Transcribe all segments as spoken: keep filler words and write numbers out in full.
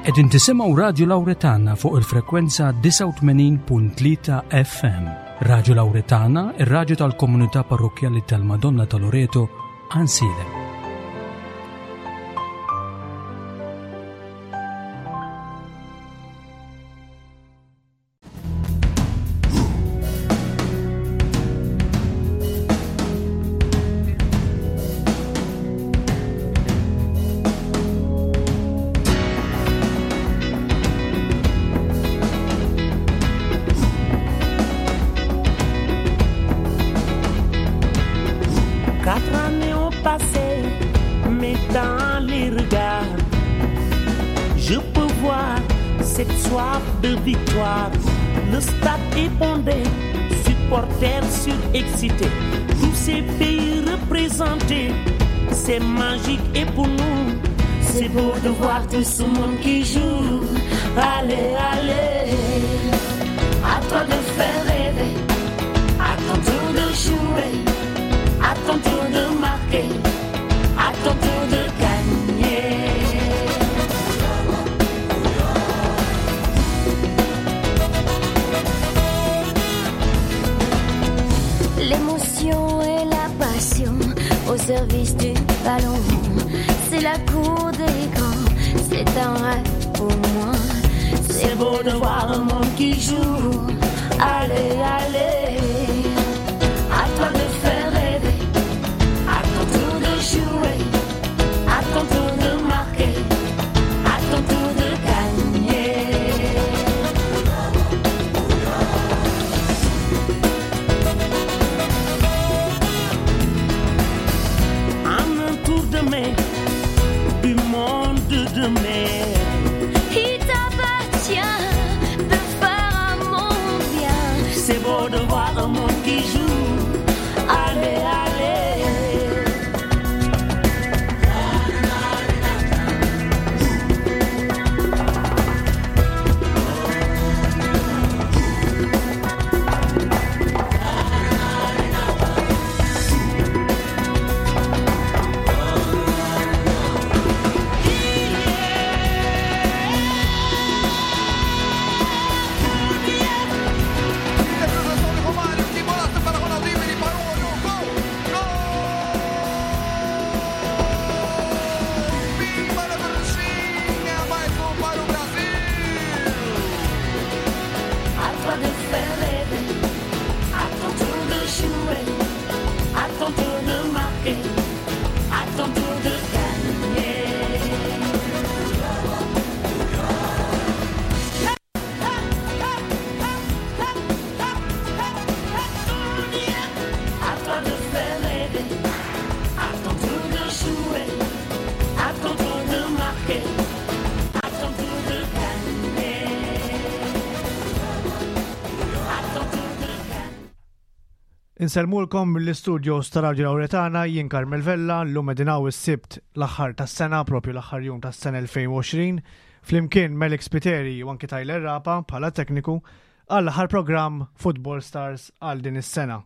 Qegħdin tisimgħu Radju Lawretana fuq il-frekwenza disgħa u tmenin punt tlieta F M. Radju Lawretana, ir-radju tal-komunità parrokkjali tal-Madonna ta' Loreto, Għajnsielem. Tout ce monde qui joue, allez, allez, à toi de faire rêver, à ton tour de jouer, à ton tour de marquer, à ton tour de gagner. L'émotion et la passion au service du ballon, c'est la cour des grands. C'est un rêve pour moi. C'est beau de voir un monde qui joue. Allez, allez, à toi de faire rêver, à ton tour de jouer, à ton tour de marquer, à ton tour de gagner. En un tour de main, du monde de mer. Il t'appartient de faire un monde bien. C'est beau de voir un monde qui joue. Allez, allez. Insellmulkom mill-istudios ta' Radio Lawretana, jien Carmel Vella, llum qegħdin hawn is-Sibt l-aħħar tas-sena, propju l-aħħar jum tas-sena elfejn u għoxrin, flimkien Melix Spiteri u anki Tyler Rapa bħala tekniku għall-aħħar programm Football Stars għal din is-sena.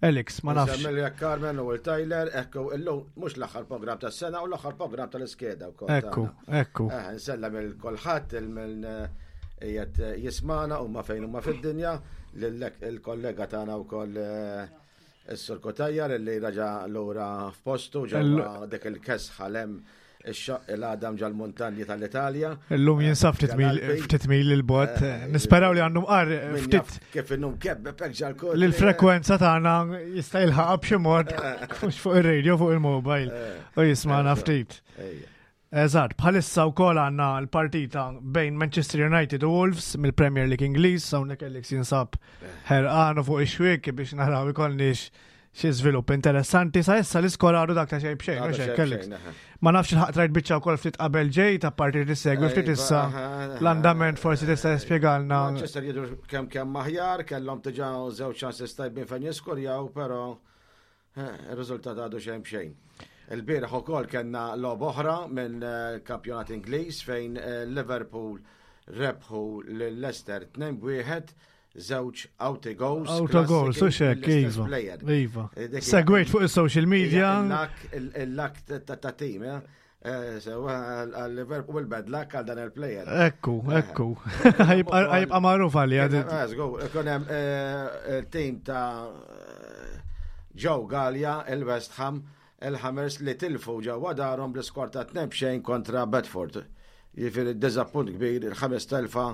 Alex, ma nafx. Insellmilek jekk Carmen u l-Tyler, ekku, illum mhux l-aħħar programm tas-sena u l-aħħar programm tal-iskeda wkoll Ekku, tagħna. ekku. Eh, nsellem il kulħadd il-min, eh, qiegħed jismana huma fejn huma fid-dinja, lillek il-kollega tagħna wkoll, eh, is-Sur Cutajar li raġa' lura f'postu ġewwa dik il-kesħa lem ix-xaqq il-għadam ġal-muntanji tal-Italja. Illum jinsab ftit mil, Ġal-Alpi. ftit mil il-bot. Eh, Nisperaw li għandhom qar Min ftit jaf kif innum kebbeb hekk ġal-kol. li l-frekwenza tagħna jista' jilħaq b'xi mod, Eh. mhux fuq ir-radio, fuq il-mobile Eh. u jismagħna Eh, ftit. Ejja. Eżatt, bħalissa wkoll għandna l-partita bejn Manchester United u Wolves mill-Premier League Ingliż, hawnhekk Alex jinsab ħerqan u fuq ix-xwiek biex naraw ikollniex xi żvilupp interessanti. Sa issa l-iskor għadu dak ta' xejn b'xejn, Għadu mhux hekk, xejn Alex? b'xejn, aha. Ma nafx il-ħaq trajt biċċa wkoll ftit qabel ġejt, apparti li segwi ftit Ejva, issa aha, aha. l-andament forsi tista' tispjegalna. Manchester jidhru kemm kemm aħjar, kellhom diġà żewġ ċansi tajbin fejn jiskurjaw, però, eh, ir-riżultat għadu xejn b'xejn. Il-bieraħ ukoll kellna logħba oħra minn, eh, kampjonat Ingliż fejn, eh, Liverpool rebħu lil Leicester tnejn b'wieħed, żewġ auto goals, Auto goals, u klassiki xek, mill-istess iva. player. Iva. Eh, dik Segwejt fuq is-social media. Il-lak, il-lak ta', ta' team, eh? Eh, sewa għal Liverpool bad luck għal dan il-player. Ekku, ekku. Ħa jibqa' magħruf għalli. Ikun hemm eh, il-team ta' Joe Gallia, il-West Ham, il-Hammers li tilfu ġewwa darhom bl-iskor ta' tnejn xejn kontra Bedford. Jiġifieri diżappunt kbir, il-ħames telfa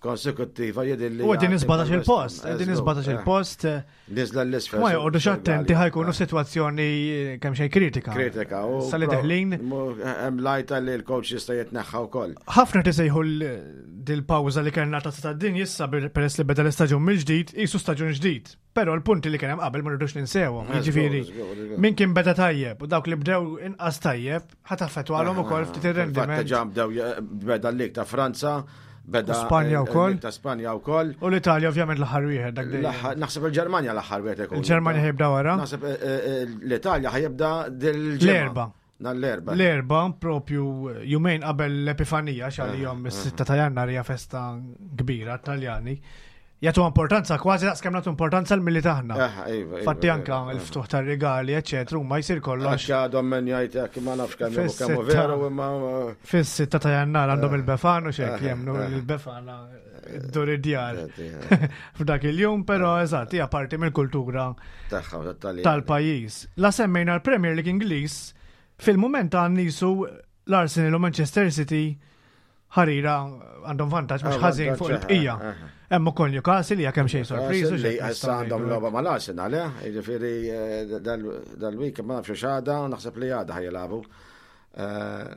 konsekuttiva jidhirli. U qegħdin sbatax il-post, qegħdin sbatax il-post. Niżla 'l isfel. Ma joqogħdux attenti ħa jkunu situazzjoni kemm xejn kritika. Kritika. Sali deħlin. Hemm lajta li l-coach jista' jitneħħa wkoll. Ħafna tisejħu dil-pawża li kellna ta' tad-dinja issa peress li beda l-istaġun mill-ġdid, qisu staġun ġdid. Però l-punti li kien hemm qabel ma rridux ninsewhom. Jiġifieri, min kien beda tajjeb u dawk li bdew inqas tajjeb ħa taffettwalhom ukoll ftit ir-rendiment. Ġa bdew beda l-lig ta' Franza, beda Spanja wkoll. Ta' Spanja wkoll. U l-Italja ovvjament l-aħħar wieħed dak dejjem. Naħseb il-Ġermanja l-aħħar wieħed ikun. Il-Ġermanja ħa jibda wara. Naħseb eh, eh, l-Italja ħa jibda dil L-Erbgħa. L-Erbgħa. L-Erbgħa propju jumejn qabel l-Epifanija x'għalihom is-sitta ta' Jannar hija festa kbira Taljani. Jagħtu importanza kważi daqs kemm nagħtu importanza l-Milied aħna. Iva, iva, Fatti anka iva. l-ftuħ tar-rigali, eċetera, huma jsir kollox. Għax għadhom min jgħid ma nafx kemm kemm veru imma. Fis-sitta ta' Jannar għandhom il-Befana u xek jemmnu il-Befana ddur id-djar. F'dak il-jum, però eżatt, hija parti mill-kultura tal-pajjiż. La semmejna l-Premier League Ingliż, fil-moment għan nisu l-Arsenal u Manchester City ħarira għandhom vantaġġ mhux ħażin fuq il-bqija. Hemm ukoll Newcastle hija kemm xejn sorpriż. Li issa għandhom logħba mal-Arsenal, eh? Jiġifieri eh, dal-week ma nafx x'għada, naħseb li għada ħa jilagħbu. Eh,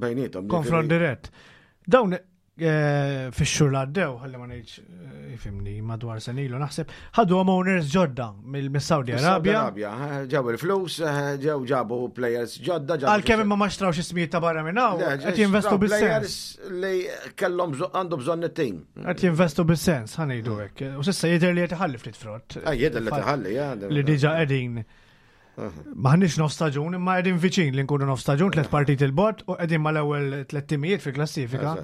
bejnietom. Konfront dirett. Dawn eh, fix-xhur li għaddew, ħalli ma ngħidx ifhimni madwar sena ilu naħseb, ħadu owners ġodda mill-Saudi Arabia. Arabia, ġew il-flus, ġew ġabu players ġodda. Għalkemm imma ma xtrawx ismijiet ta' barra minn hawn, qed jinvestu bis-sens. Players li kellhom għandu bżonn it-team. Qed jinvestu bis-sens, ħa ngħidu hekk. U s'issa jidher li qed iħalli ftit frott. Ah, jidher li tħalli, ja. Li diġà qegħdin Maħniex nofs staġun, imma qegħdin viċin li nkunu nofs staġun, tliet partit il-bot u qegħdin mal-ewwel tliet timijiet fil-klassifika.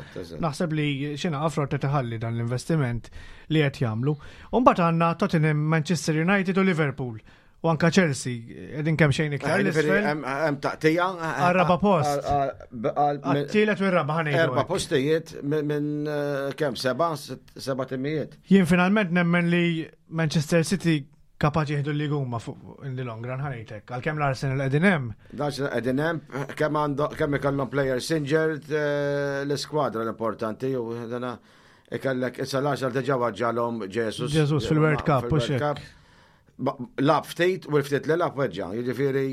Naħseb li xina frott qed iħalli dan l-investiment li qed jagħmlu. U mbagħad għandna Tottenham, Manchester United u Liverpool. U anka Chelsea, qegħdin kemm xejn iktar. Hemm taqtija. Għar-raba post. Għat-tielet u r-raba ħa ngħidu. Erba' postijiet minn eh, kemm seba' seba' timijiet. Jien finalment nemmen li Manchester City kapaċi jieħdu li huma fuq in the long run ħa ngħidlek. Għalkemm l-Arsenal qegħdin hemm. L-Arsenal qegħdin hemm, kemm għandu kemm ikollhom players injured eh, l-iskwadra l-importanti u dana ikellek issa l-Arsenal diġà weġġgħalhom Jesus. Jesus fil-World Cup u xek. Lagħab ftit u l-ftit li lagħab weġġa', jiġifieri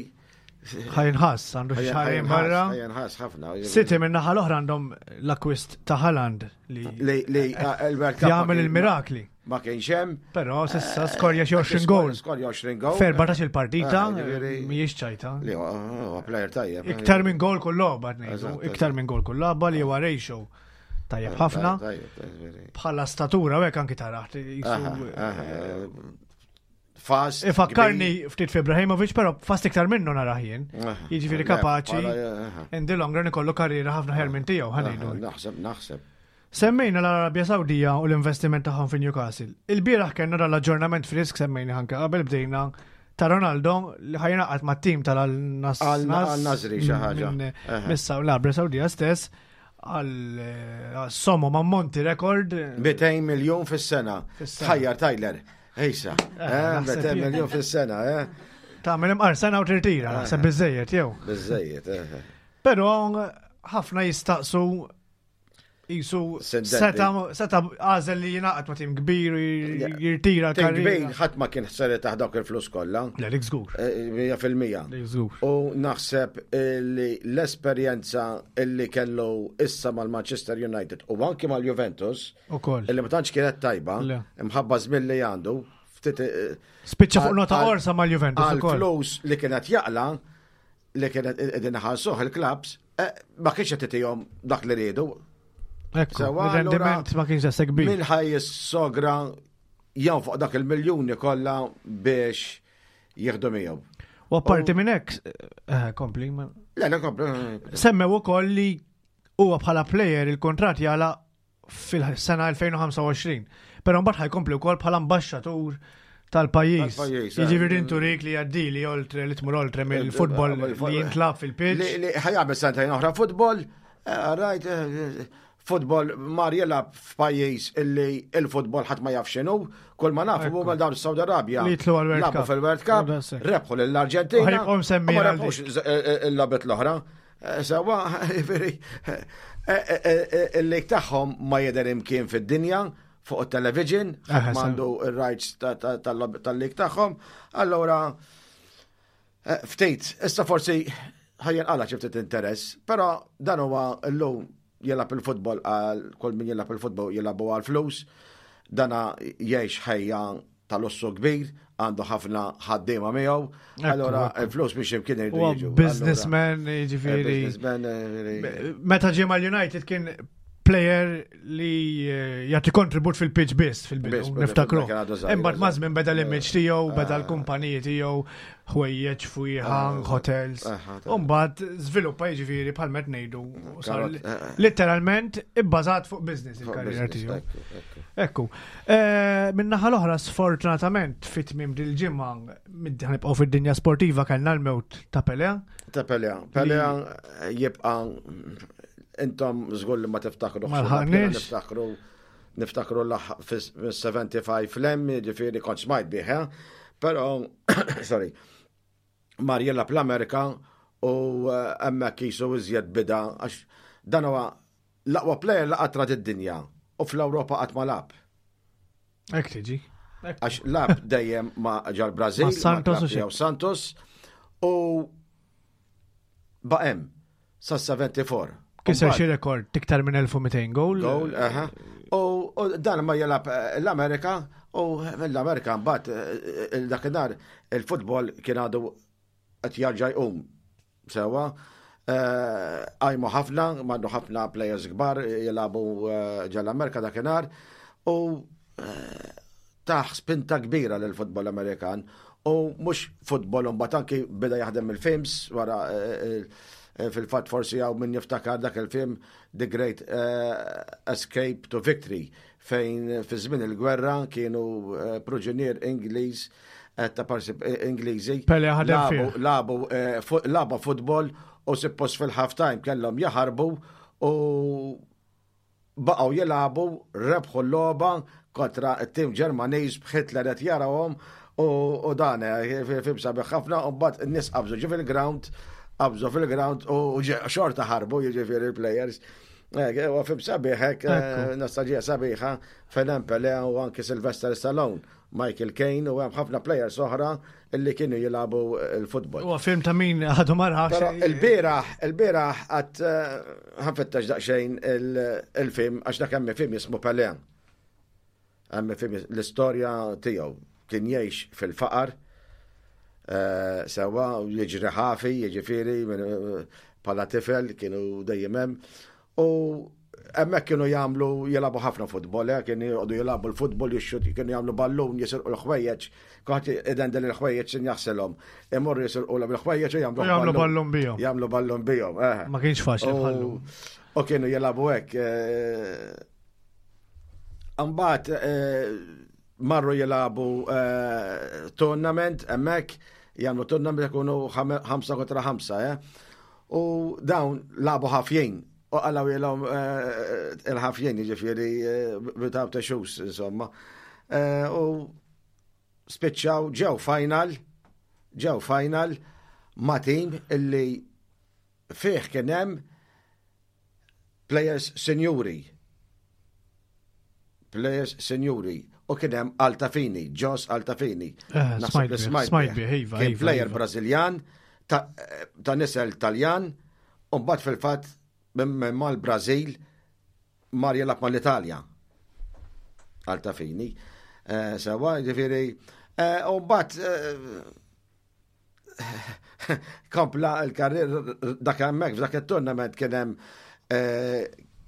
Ħa jinħass, għandu xahrejn barra. Ħa jinħass ħafna. City minn naħa l-oħra għandhom l-akwist ta' Haaland li li il-World Cup jagħmel il-mirakli. Ma kienx hemm. Però s'issa skorja xi għoxrin goal. Skorja għoxrin goal. F'erbatax il-partita, mhijiex ċajta. Li huwa player tajjeb. Iktar minn gol kull logħba ngħidu, iktar minn gol kull logħba li huwa ratio tajjeb ħafna. Bħala statura u hekk anki taraħ. Fast. Ifakkarni ftit fi Ibrahimovic, però fast iktar minnu narah jien. Jiġifieri kapaċi in the long run ikollu karriera ħafna aħjar minn tiegħu ħa ngħidu. Naħseb, naħseb. Semmejna l-Arabja Sawdija u l-investiment tagħhom fi Newcastle. Il-bieraħ kellna dal-aġġornament frisk semmejna anke qabel bdejna ta' Ronaldo li ħa jingħaqad mat-tim tal-Al-Nasri xi ħaġa. Missa l-Arabja Sawdija stess għal somma ma' monti rekord. mitejn miljon fis-sena. Ħajjar Tyler. Ejsa, mitejn miljon fis-sena, eh. Tagħmel imqar sena u tirtira, naħseb biżejjed jew. Biżejjed, eh. Però ħafna jistaqsu jisu seta seta għażel li jingħaqad ma' tim kbir u jirtira Tim kbir ħadd ma kien ħseret taħ dawk il-flus kollha. Le, dik żgur. Mija fil-mija. Dik żgur. U naħseb li l-esperjenza illi kellu issa mal-Manchester United u anki mal-Juventus Ukoll. illi ma tantx kienet tajba, imħabba żmien li għandu, ftit Spiċċa fuq nota orsa mal-Juventus ukoll. Għal-flus li kienet jaqla li kienet qegħdin iħallsuh il-clubs, ma kienx qed itihom dak li riedu. Ekku, il-rendiment ma kienx daqshekk kbir. Min ħa jissogra fuq dak il-miljuni kollha biex jieħdu miegħu. U apparti minn hekk, eh, kompli. Le, le, kompli. Semmew ukoll li huwa bħala player il-kontrat jagħlaq fil-sena elfejn u ħamsa u għoxrin. Però mbagħad ħa jkompli wkoll bħala ambaxxatur Tal-pajjiż. Tal-pajjiż, eh. Jiġifieri inturik li għaddi li oltre li tmur oltre mill-futbol li jintlab fil-pitch. Li li ħa jagħmel sentejn oħra futbol, eh, rajt, eh, futbol mar jilgħab f'pajjiż illi il-futbol ħadd ma jaf x'inhu, kull ma nafu Ekku. huma dawn Saudi Arabia. Li jitlu għal-World Lagħbu Cup. fil-World Cup, U daqshekk. rebħu lill-Arġentina. U ħa jibqgħu msemmijin u ma għal rebħux z- eh, eh, il-logħbiet l-oħra. Eh, Sewwa, jiġifieri, eh, eh, eh, il-league tagħhom ma jidher imkien fid-dinja fuq il-television, Aha, ħadd m'għandu ir-rights ta- ta- tal- tal-league tagħhom. Allora, Eh, Ftit, issa forsi ħa jinqala' xi ftit interess, però dan huwa llum jilgħab il-futbol għal kull min jilgħab il-futbol jilagħbu għal flus, dana jgħix ħajja tal-lussu kbir, għandu ħafna ħaddiema miegħu, allora ekku. il-flus biex imkien iridu Huwa jiġu. businessman, Allora, eh, jiġifieri. Businessman, eh, jiġifieri. Meta ġie mal-United kien player li eh, jagħti kontribut fil-pitch biss fil-bidu, Biss, niftakru. kien għadu żgħir, Imbagħad ma' żmien beda l-image tiegħu, beda Ah. l-kumpaniji tiegħu, ħwejjeġ, fwieħa, hotels. Ah, U mbagħad żviluppa jiġifieri bħal met ngħidu u sar Karot, eh, eh. literalment ibbażat fuq business il-karriera Business, tiegħu. ekku, ekku. Ekku. Eh, Min-naħa l-oħra, sfortunatament, fit-tmiem dil-ġimgħa, mid- ħa nibqgħu fid-dinja sportiva kellna l-mewt ta' Pelé. Ta' Pelé, Pelé jibqa' intom żgur li ma tiftakru. Ma lħaqniex. Niftakru niftakru fis-sebgħa u sebgħin flem, ġifieri kont smajt bih, eh? Però, sorry, mar jilgħab l-Amerika u eh, hemmhekk jisu iżjed bida għax dan huwa l-aqwa player li qatt rat id-dinja u fl-Ewropa qatt ma lagħab. Hekk tiġi. Hekk. Għax lagħab dejjem ma ġol-Brazil, Ma' Santos u ma' tiegħu Santos u baqa' hemm sa sebgħa u sebgħin. Kiser xi rekord iktar minn elf u mitejn goal. Goal, aha. U u dan ma jilgħab eh, l-Amerika u mill-Amerika mbagħad eh, eh, dakinhar il-futbol kien għadu qed jarġa' jqum sewwa. Eh, Għajmu ħafna, marru ħafna players kbar jilagħbu eh, ġol-Amerika dakinhar u eh, tah spinta kbira lill futbol Amerikan u mhux futbol mbagħad anki beda jaħdem il-films wara eh, eh, fil-fatt forsi hawn min jiftakar dak il-film The Great eh, Escape to Victory fejn fi żmien il-gwerra kienu eh, priġunier Ingliż eh, ta' parsi eh, Ingliżi Pelé ħadem lagħbu fih. lagħbu eh, fu- lagħbu futbol u suppost fil-half time kellhom jaħarbu u baqgħu jilagħbu rebħu l-logħba kontra t-tim Ġermaniż b'Hitler qed jarawhom u u dan eh, film sabiħ ħafna u mbagħad in-nies qabżu ġi fil-ground qabżu fil-ground u ġe- xorta ħarbu jiġifieri il-players. Eh, U film sabiħ hekk, eh, Ekku. nostalġija sabiħa fejn hemm Pelé u anki Sylvester Stallone, Michael Caine u hemm ħafna players oħra illi kienu jilagħbu il-futbol. Huwa film ta' min għadu ma rax. Però il-bieraħ, il-bieraħ għat ħa nfittex daqsxejn il-film, għax dak hemm film jismu Pelé. Hemm film l-istorja tiegħu kien jgħix fil-faqar, eh, sewwa u jiġri ħafi, jiġifieri minn- bħala tifel kienu dejjem hemm. U hemmhekk kienu jagħmlu jilagħbu ħafna futbol, eh, kienu jqogħdu jilagħbu l-futbol, jixxut, kienu jagħmlu ballun, jisirqu l-ħwejjeġ, kulħadd idendel il-ħwejjeġ sin jaħselhom. Imorru jisirqu l-ħwejjeġ u jagħmlu U jagħmlu ballun bihom. Jagħmlu ballun bihom, eh. Ma kienx faċli U- bħallu. U kienu jilagħbu hekk. eh, Mbagħad eh, marru jilagħbu eh, tournament hemmhekk jagħmlu tournament ikunu ħam- ħamsa kontra ħamsa, eh. U dawn lagħbu ħafjin. U qalgħu ilhom il-ħafjin jiġifieri eh, without the shoes, insomma. Eh, U spiċċaw ġew final, ġew final ma' team illi fih kien hemm players senjuri. Players senjuri. U kien hemm Altafini, Jos Altafini. Eh, Naħseb smajt li bih, smajt smajt bih. bih, iva, Kien iva, player iva. Brażiljan ta' ta' nisel Taljan, u mbagħad fil-fatt minn minn mal-Brażil mar jilgħab mal-Italja. Altafini. Eh, Sewwa, ġifieri, eh, u mbagħad eh, kompla l-karrier dak hemmhekk f'dak it-tournament kien hemm eh,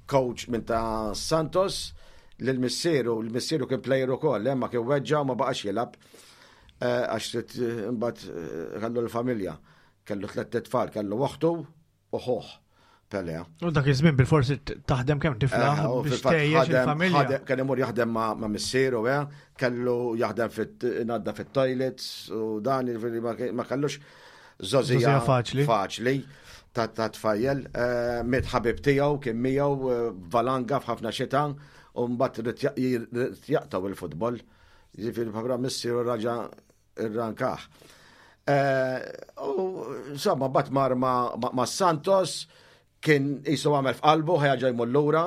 coach minn ta' Santos lil missieru, l-missieru kien player ukoll, eh, ma kien weġġa u ma baqax jilgħab eh, għax trid, eh, imbagħad eh, kellu l-familja, kellu tliet tfal, kellu oħtu u ħuh. Pele. U dak iż-żmien bil-forsi taħdem kemm tiflaħ Eh, u biex fil-fatt tgħejjex ħadem- il-familja. ħadem- Kien imur jaħdem ma' ma' missieru, eh, kellu jaħdem fit-nadda fit-toilets u dan jiġifieri ma ma kellux żgħożija Żgħożija faċli. Faċli ta' ta' tfajjel. Eh, Miet ħabib tiegħu kien miegħu eh, valanga f'ħafna xita u mbagħad ried ja- ried jaqtgħu il-futbol. Jiġifieri bħabra missieru raġa irrankah. Eh, U insomma, bat mar ma' ma' ma' Santos kien jisu għamel f'qalbu ħa jerġa' jmur lura.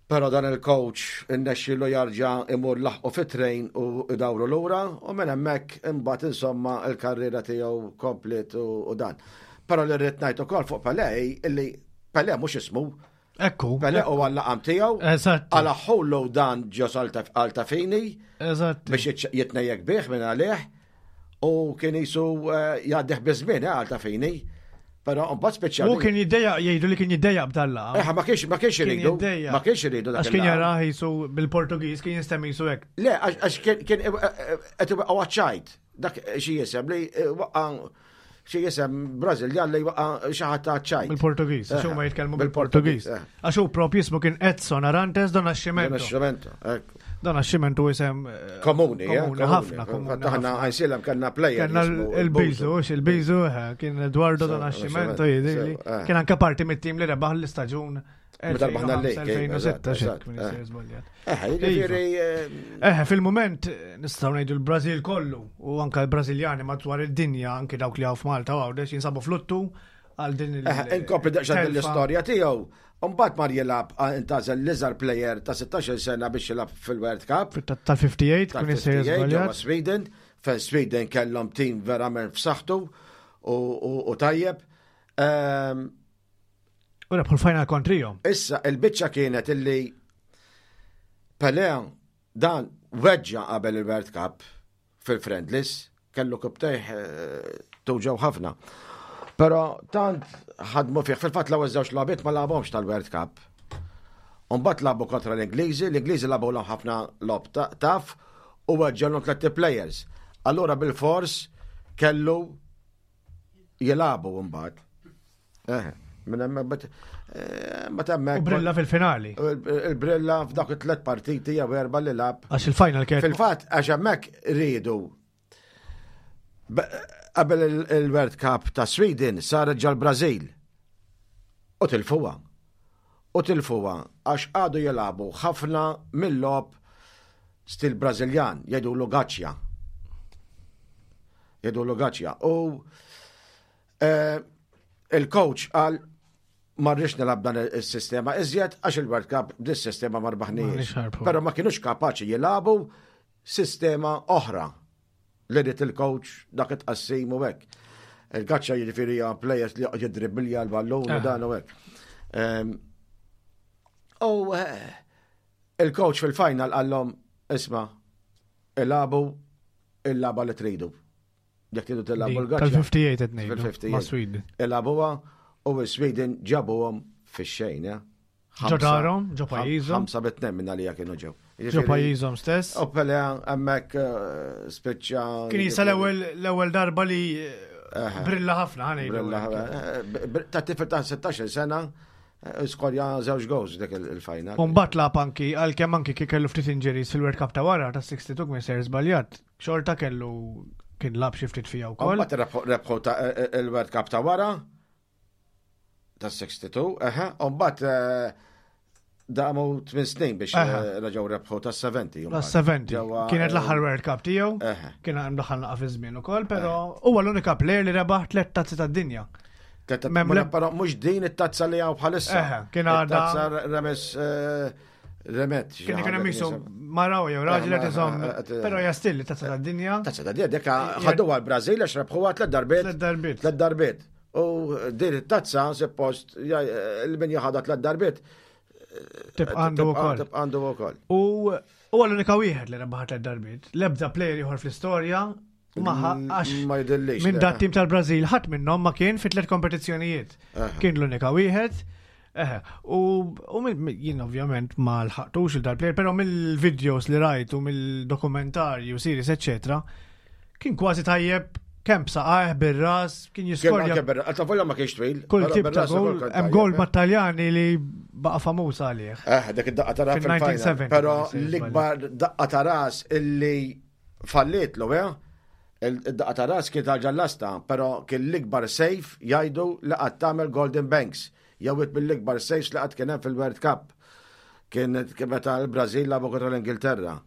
Pero dan il-coach innexxilu jarġa' imur laħqu fit-train u idawru lura u minn hemmhekk imbagħad insomma il-karriera tiegħu komplet u, u dan. Però li rrid ngħid ukoll fuq Pelé illi Pelé mhux ismu, Ekku. Pelé huwa l-laqam tiegħu, Eżatt. għalaħħulu dan Jos Altafini Eżatt. biex jitx- jitnejjek bih minn għalih u kien jisu eh, jgħaddih biż-żmien eh, Altafini. Però mbagħad speċjali. U kien jiddejjaq jgħidu li kien jiddejjaq b'dalla. Eh, ma kienx ma kienx Kien iridu, jiddejjaq. ma kienx iridu dak Għax kien il-laqam. jarah jisu bil-Portugiż kien jistem jisu hekk. Le, għax għax kien kien qed iwaqqgħu għaċ-ċajt. Dak xi jisem li eh, waqqa' xi jisem Brażiljan li waqqa' xi ħadd ta' ċajt. Bil-Portugiż, għax Eh, huma jitkellmu bil-Portugiż, bil-Portugiż. eh. Għax hu propju jismu kien Edson Arantes do Nascimento. Nascimento, ekku. Do Nascimento isem eh, Komuni, eh, komuni ħafna, komuni. Aħna ħafna. Għajnsielem kellna player. Kellna jismu il-biżu, hux il-biżu, eh, kien Eduardo do Sew, Nascimento Nascimento, jidhirli. sew, eh. Kien anke parti mit-tim li rebaħ l-istaġun Meta rbaħna l-league, eh, elfejn u ħamsa, elfejn u sitta, eżatt, xek, eżatt, minn eh. jisir żbaljat. Eh, jiġifieri eh, Eh, fil-moment eh, nistgħu ngħidu l-Brażil kollu u anke l-Brażiljani madwar id-dinja anke dawk li hawn f'Malta u Għawdex jinsabu fluttu għal din il- Eh, Inkompli daqsxejn din telfa. l-istorja tiegħu. Mbagħad mar jilgħab intgħażel l-iżgħar player ta' sittax-il sena biex jilgħab fil-World Cup. Tal-ħamsa u ħamsin kun jisir tal-ħamsa u ħamsin ġewwa żbaljat. Sweden, fejn Sweden kellhom team verament f'saħħtu u- u u tajjeb. Ehm, U rebħu l-final kontrihom. Issa il-biċċa kienet illi Pelé dan weġġa qabel il-World Cup fil-friendlies, kellu rkupptejh eh, tuġgħu ħafna. Però tant ħadmu fih, fil-fatt l-ewwel żewġ logħbiet ma lagħabhomx tal-World Cup. Umbagħad lagħbu kontra l-Ingliżi, l-Ingliżi lagħbu l ħafna logħob ta- taf u weġġgħulhom tliet players. Allura bil-fors kellu jilagħbu mbagħad. Eh, minn hemmhekk bet eh, mbagħad U hemmhekk brilla fil-finali. Il-brilla f'dak it-tlet partiti jew erba' li lagħab. Għax il-final kien Fil-fatt għax hemmhekk riedu Be- qabel il- il-World Cup ta' Sweden saret ġol-Brażil. U tilfuha. U tilfuha għax għadu jilagħbu ħafna mill-logħob stil Brażiljan, jgħidulu gaċċja. Jgħidulu gaċċja. U eh, il-coach qal ma rridx nilgħab dan il-sistema iżjed għax il-World Cup dis-sistema ma rbaħniex. M'aħniex ħarbħu. Però ma kienux kapaċi jilagħbu sistema oħra li ried il-coach dak it-qassim u hekk. Il-gaċċa jiġifieri hija players li jidribilja l-ballun u Ah. dan u hekk. Ehm, U eh, il-coach fil-final qallhom isma' ilagħbu il-lagħba li tridu. Jekk tridu tilagħbu l-gaċċa. tal-ħamsa u ħamsin qed ngħidu. Fil-ħamsa u ħamsin. Ma' Sweden. Ilagħbuha u s-Sweden ġabuhom fix-xejn, ja. Ġo darhom, ġo pajjiżhom. Ħamsa bit-tnejn minn għalija kienu ġew. Ġo pajjiżhom stess. U Pele hemmhekk eh, spiċċa. Kien jisa l-ewwel l-ewwel darba li eh, brilla ħafna ħa ngħidu. Brilla, eh, br- Ta' tifel ta' sittax-il sena eh, skorja żewġ goals dik il- il-final. Umbat lagħab anki, għalkemm anki kien kellu ftit injuries fil-World Cup ta' wara ta' sitta u sittin minn ser żbaljat. Xorta kellu kien lagħab xi ftit fija wkoll. Mbagħad rebħu- rebħu ta' eh, eh, il-World Cup ta' wara ta' sitta u sittin, eħe, u mbagħad eh, damu tmien snin biex Eħe. eh, reġgħu rebħu ta' sebgħin. La sebgħin. Ġewwa, Kienet eh, l-aħħar World Cup tiegħu. Eħe. Kien hemm daħal naqa' fi żmien ukoll, però huwa l-unika player li rebaħ tliet tazzi tad-dinja. Tlet- Mem ma le- Però mhux din it-tazza li hawn bħalissa. Eħe, kien għadha- It-tazza remes eh, remet. xi Kien kien ħaġa hemm jisu kien maraw jew raġel Eh, qed iżomm, eh, eh, però hija still tazza tad-dinja. Tazza ta' dinja dik ħadu għal-Brażil għax rebħuha tliet darbiet. Tliet darbiet. Tliet darbiet. U din it-tazza suppost il-min jaħadha tliet darbiet. Tibqa' għandu wkoll. Tibqa' għandu wkoll. U huwa l-unika wieħed li rebaħ tliet darbiet. L-ebda player ieħor fl-istorja ma għax Ma jidhirlix. minn le. dat tim tal-Brażil ħadd minnhom ma kien fi tliet kompetizzjonijiet. Kien l-unika wieħed. Eħe, u, u minn- jien ovvjament ma lħaqtux il dal-player, però mill-videos li rajt u mill-dokumentarji u series, eccetera, kien kważi tajjeb Kemm b'saqajh, bir-ras, kien jiskorja. Għalta volja ma kienx twil. Kull tip ta' gol, hemm gol mat-Taljani li baqa' famuż għalih. Eh, dak id-daqqa ta' ras fil-final. Però l-ikbar daqqa ta' ras illi falliet l eh? Il-daqqa ta' ras kien tal-ġallasta, però kien l-ikbar save jgħidu li qatt tagħmel Golden Banks. Jew mill-ikbar saves li qatt kien hemm fil-World Cup. Kien meta l-Brażil lagħbu kontra l-Ingilterra.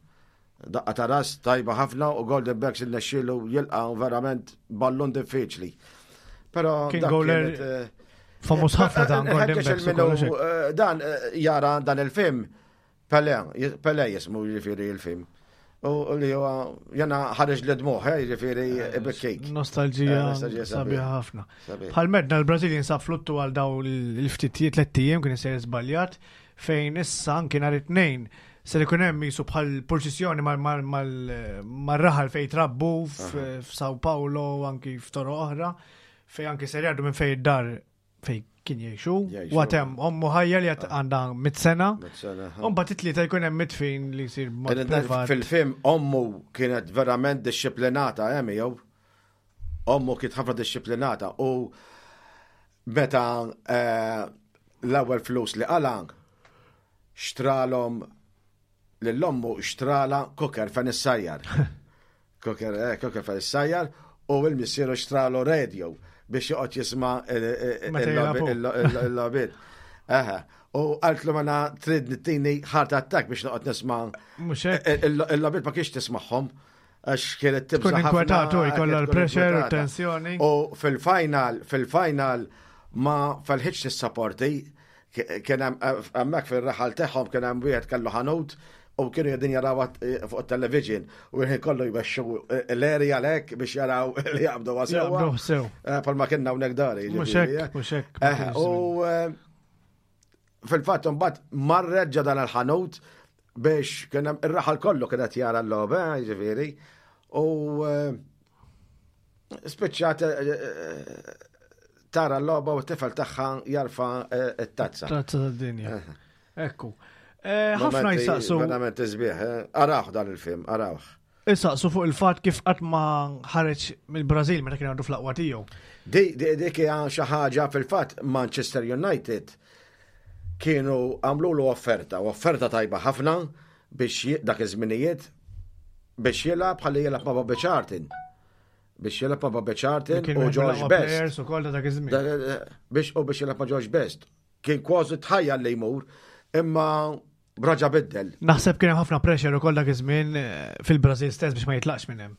Daqqa ta' ras tajba ħafna u Golden Banks innexxielu jilqa' verament ballun diffiċli. Però kien goaler eh, famuż ħafna dan Golden Banks. Eh, dan eh, jara dan il-film Pele, Pele jismu jiġifieri il-film. U li huwa jena ħareġ li dmuħ, jiġifieri ibikkik. Nostalġija sabiħa ħafna. Bħal medna l-Brażil jinsab fluttu għal daw l-ftittijiet tliet ijiem kien isejjer żbaljat fejn issa anki nhar it-tnejn ser ikun hemm jisu bħal purċissjoni mar-raħal fejn trabbu f'Sao Paulo u anki f'toroq oħra fejn anki ser jgħaddu minn fejn id-dar fejn kien jgħixu. U għatem ommu ħajja li għandha mit sena. U mbagħad it-tlieta jkun hemm mitfin li jsir b'mod privat. Fil-film ommu kienet verament dixxiplinata, hemm jew ommu kienet ħafna dixxiplinata u meta eh, l-ewwel flus li qala xtralhom lill-ommu xtrala cooker fejn issajjar. Cooker, eh, cooker fejn issajjar u l-missieru xtralu radio biex joqgħod jisma' il-logħbiet. Eħe. U qaltlu mela trid nittini heart attack biex noqgħod nisma' il-logħbiet ma kienx tismagħhom għax kienet tibża' Tkun inkwetatu, jkollha l-pressure u tensjoni. U fil-final, fil-final ma felħitx tissapporti kien hemm hemmhekk fir-raħal tagħhom kien hemm wieħed kellu ħanut u kienu qegħdin jaraw fuq it-television u l-ħin kollu jmexxu l-area lek biex jaraw li jaqbdu sewwa. Jaqbdu sew. Palma kienna hawnhekk dari. Mhux hekk, mhux hekk. U fil-fatt imbagħad marret ġa dan il-ħanut biex kien hemm ir-raħal kollu kien qed jara l-logħba, jiġifieri. U spiċċat tara l-logħba u t-tifel tagħha jarfa t-tazza. Tazza tad-dinja. Ekku. Ħafna jisaqsu. Verament isbieħ, arawh dan il-film, arawh. Isaqsu fuq il-fatt kif qatt ma ħareġ mill-Brażil meta kien għadu fl-aqwa tiegħu. Dik hija xi ħaġa fil-fatt Manchester United kienu għamlulu offerta, offerta tajba ħafna biex dak iż-żminijiet biex jilgħab ħalli jilgħab ma' Bobby Charlton. Biex jilgħab ma' Bobby Charlton u George Best. Biex u biex jilgħab ma' George Best. Kien kważi tħajja li jmur, imma raġa biddel. Naħseb kien hemm ħafna pressure ukoll dak iż-żmien fil-Brażil stess biex ma jitlaqx minn hemm.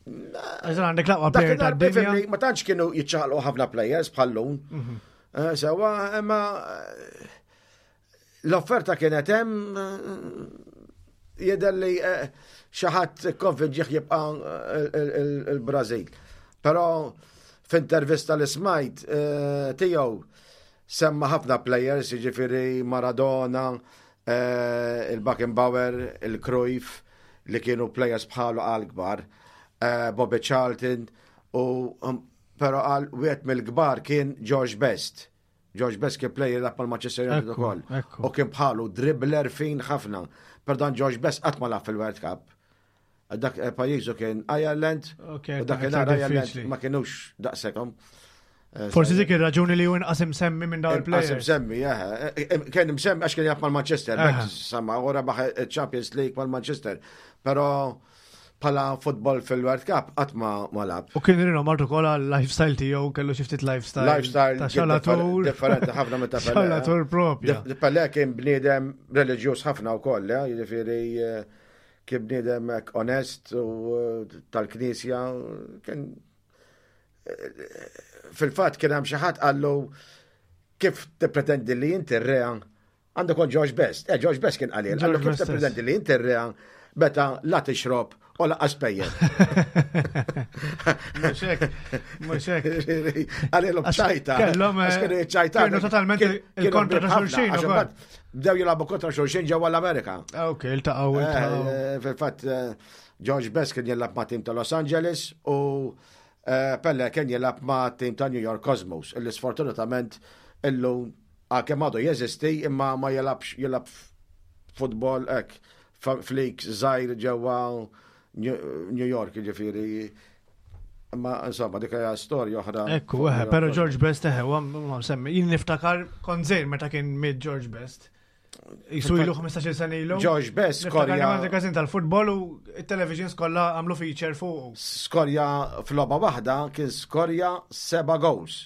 Għax għandek l-aqwa player tad-dinja. Ma tantx kienu jiċċaqlqu ħafna players bħal-lum. Sewa, imma l-offerta kienet hemm jidher li xi ħadd konvinġih jibqa' il-Brażil. Però f'intervista li smajt tiegħu semma ħafna players, jiġifieri Maradona, il-Beckenbauer, il-Cruyff, li kienu players bħalu għal kbar, Bobby Charlton, u però għal wieħed mill-kbar kien George Best. George Best kien player lagħab mal-Manchester United ukoll. U kien bħalu dribbler fin ħafna. Per dan George Best qatt ma lagħab fil-World Cup. Dak pajjiżu kien Ireland, u dak Ireland ma kienux daqshekk. Forsi dik ir-raġuni li hu inqas imsemmi minn dawn il-players. Inqas imsemmi, kien imsemmi għax kien jilgħab mal-Manchester, samma u rebaħ Champions League mal-Manchester. Però bħala futbol fil-World Cup qatt ma lagħab. U kien rinomat ukoll għal lifestyle tiegħu, kellu xi ftit lifestyle. Lifestyle ta' xalatur. Differenti ħafna minn ta' Pelé. Xalatur propja. Pelé kien bniedem reliġjuż ħafna wkoll, jiġifieri kien bniedem onest u tal-Knisja, kien fil-fatt kien hemm xi ħadd qallu kif tippretendi li inti r-rea għandu kon George Best. Eh, George Best kien qalil, qallu kif tippretendi li inti r-rea meta la tixrob u lanqas pejjep. Mhux hekk, mhux hekk. Qalilhom ċajta. Kellhom ċajta. Kienu totalment il-kontra ta' xulxin. Bdew jilagħbu kontra xulxin ġewwa l-Amerika. Ok, iltaqgħu iltaqgħu. Fil-fatt George Best kien jilgħab ma' tim ta' Los Angeles u Pelle kien jilgħab ma' tim ta' New York Cosmos, illi sfortunatament illum għalkemm għadu jeżisti imma ma jilgħabx jilgħab futbol hekk f'league żgħir ġewwa New York, jiġifieri Ma insomma, dik hija storja oħra. Ekku, eħe, pero George Best eħe, ma semmi. Jien niftakar kont żgħir meta kien miet George Best. Jisu ilu ħmistax-il sena ilu. George Best skorja. Skorja. Każin tal-futbol u it-televisions kollha għamlu feature fuq. Skorja f'logħba waħda kien skorja seba' goals.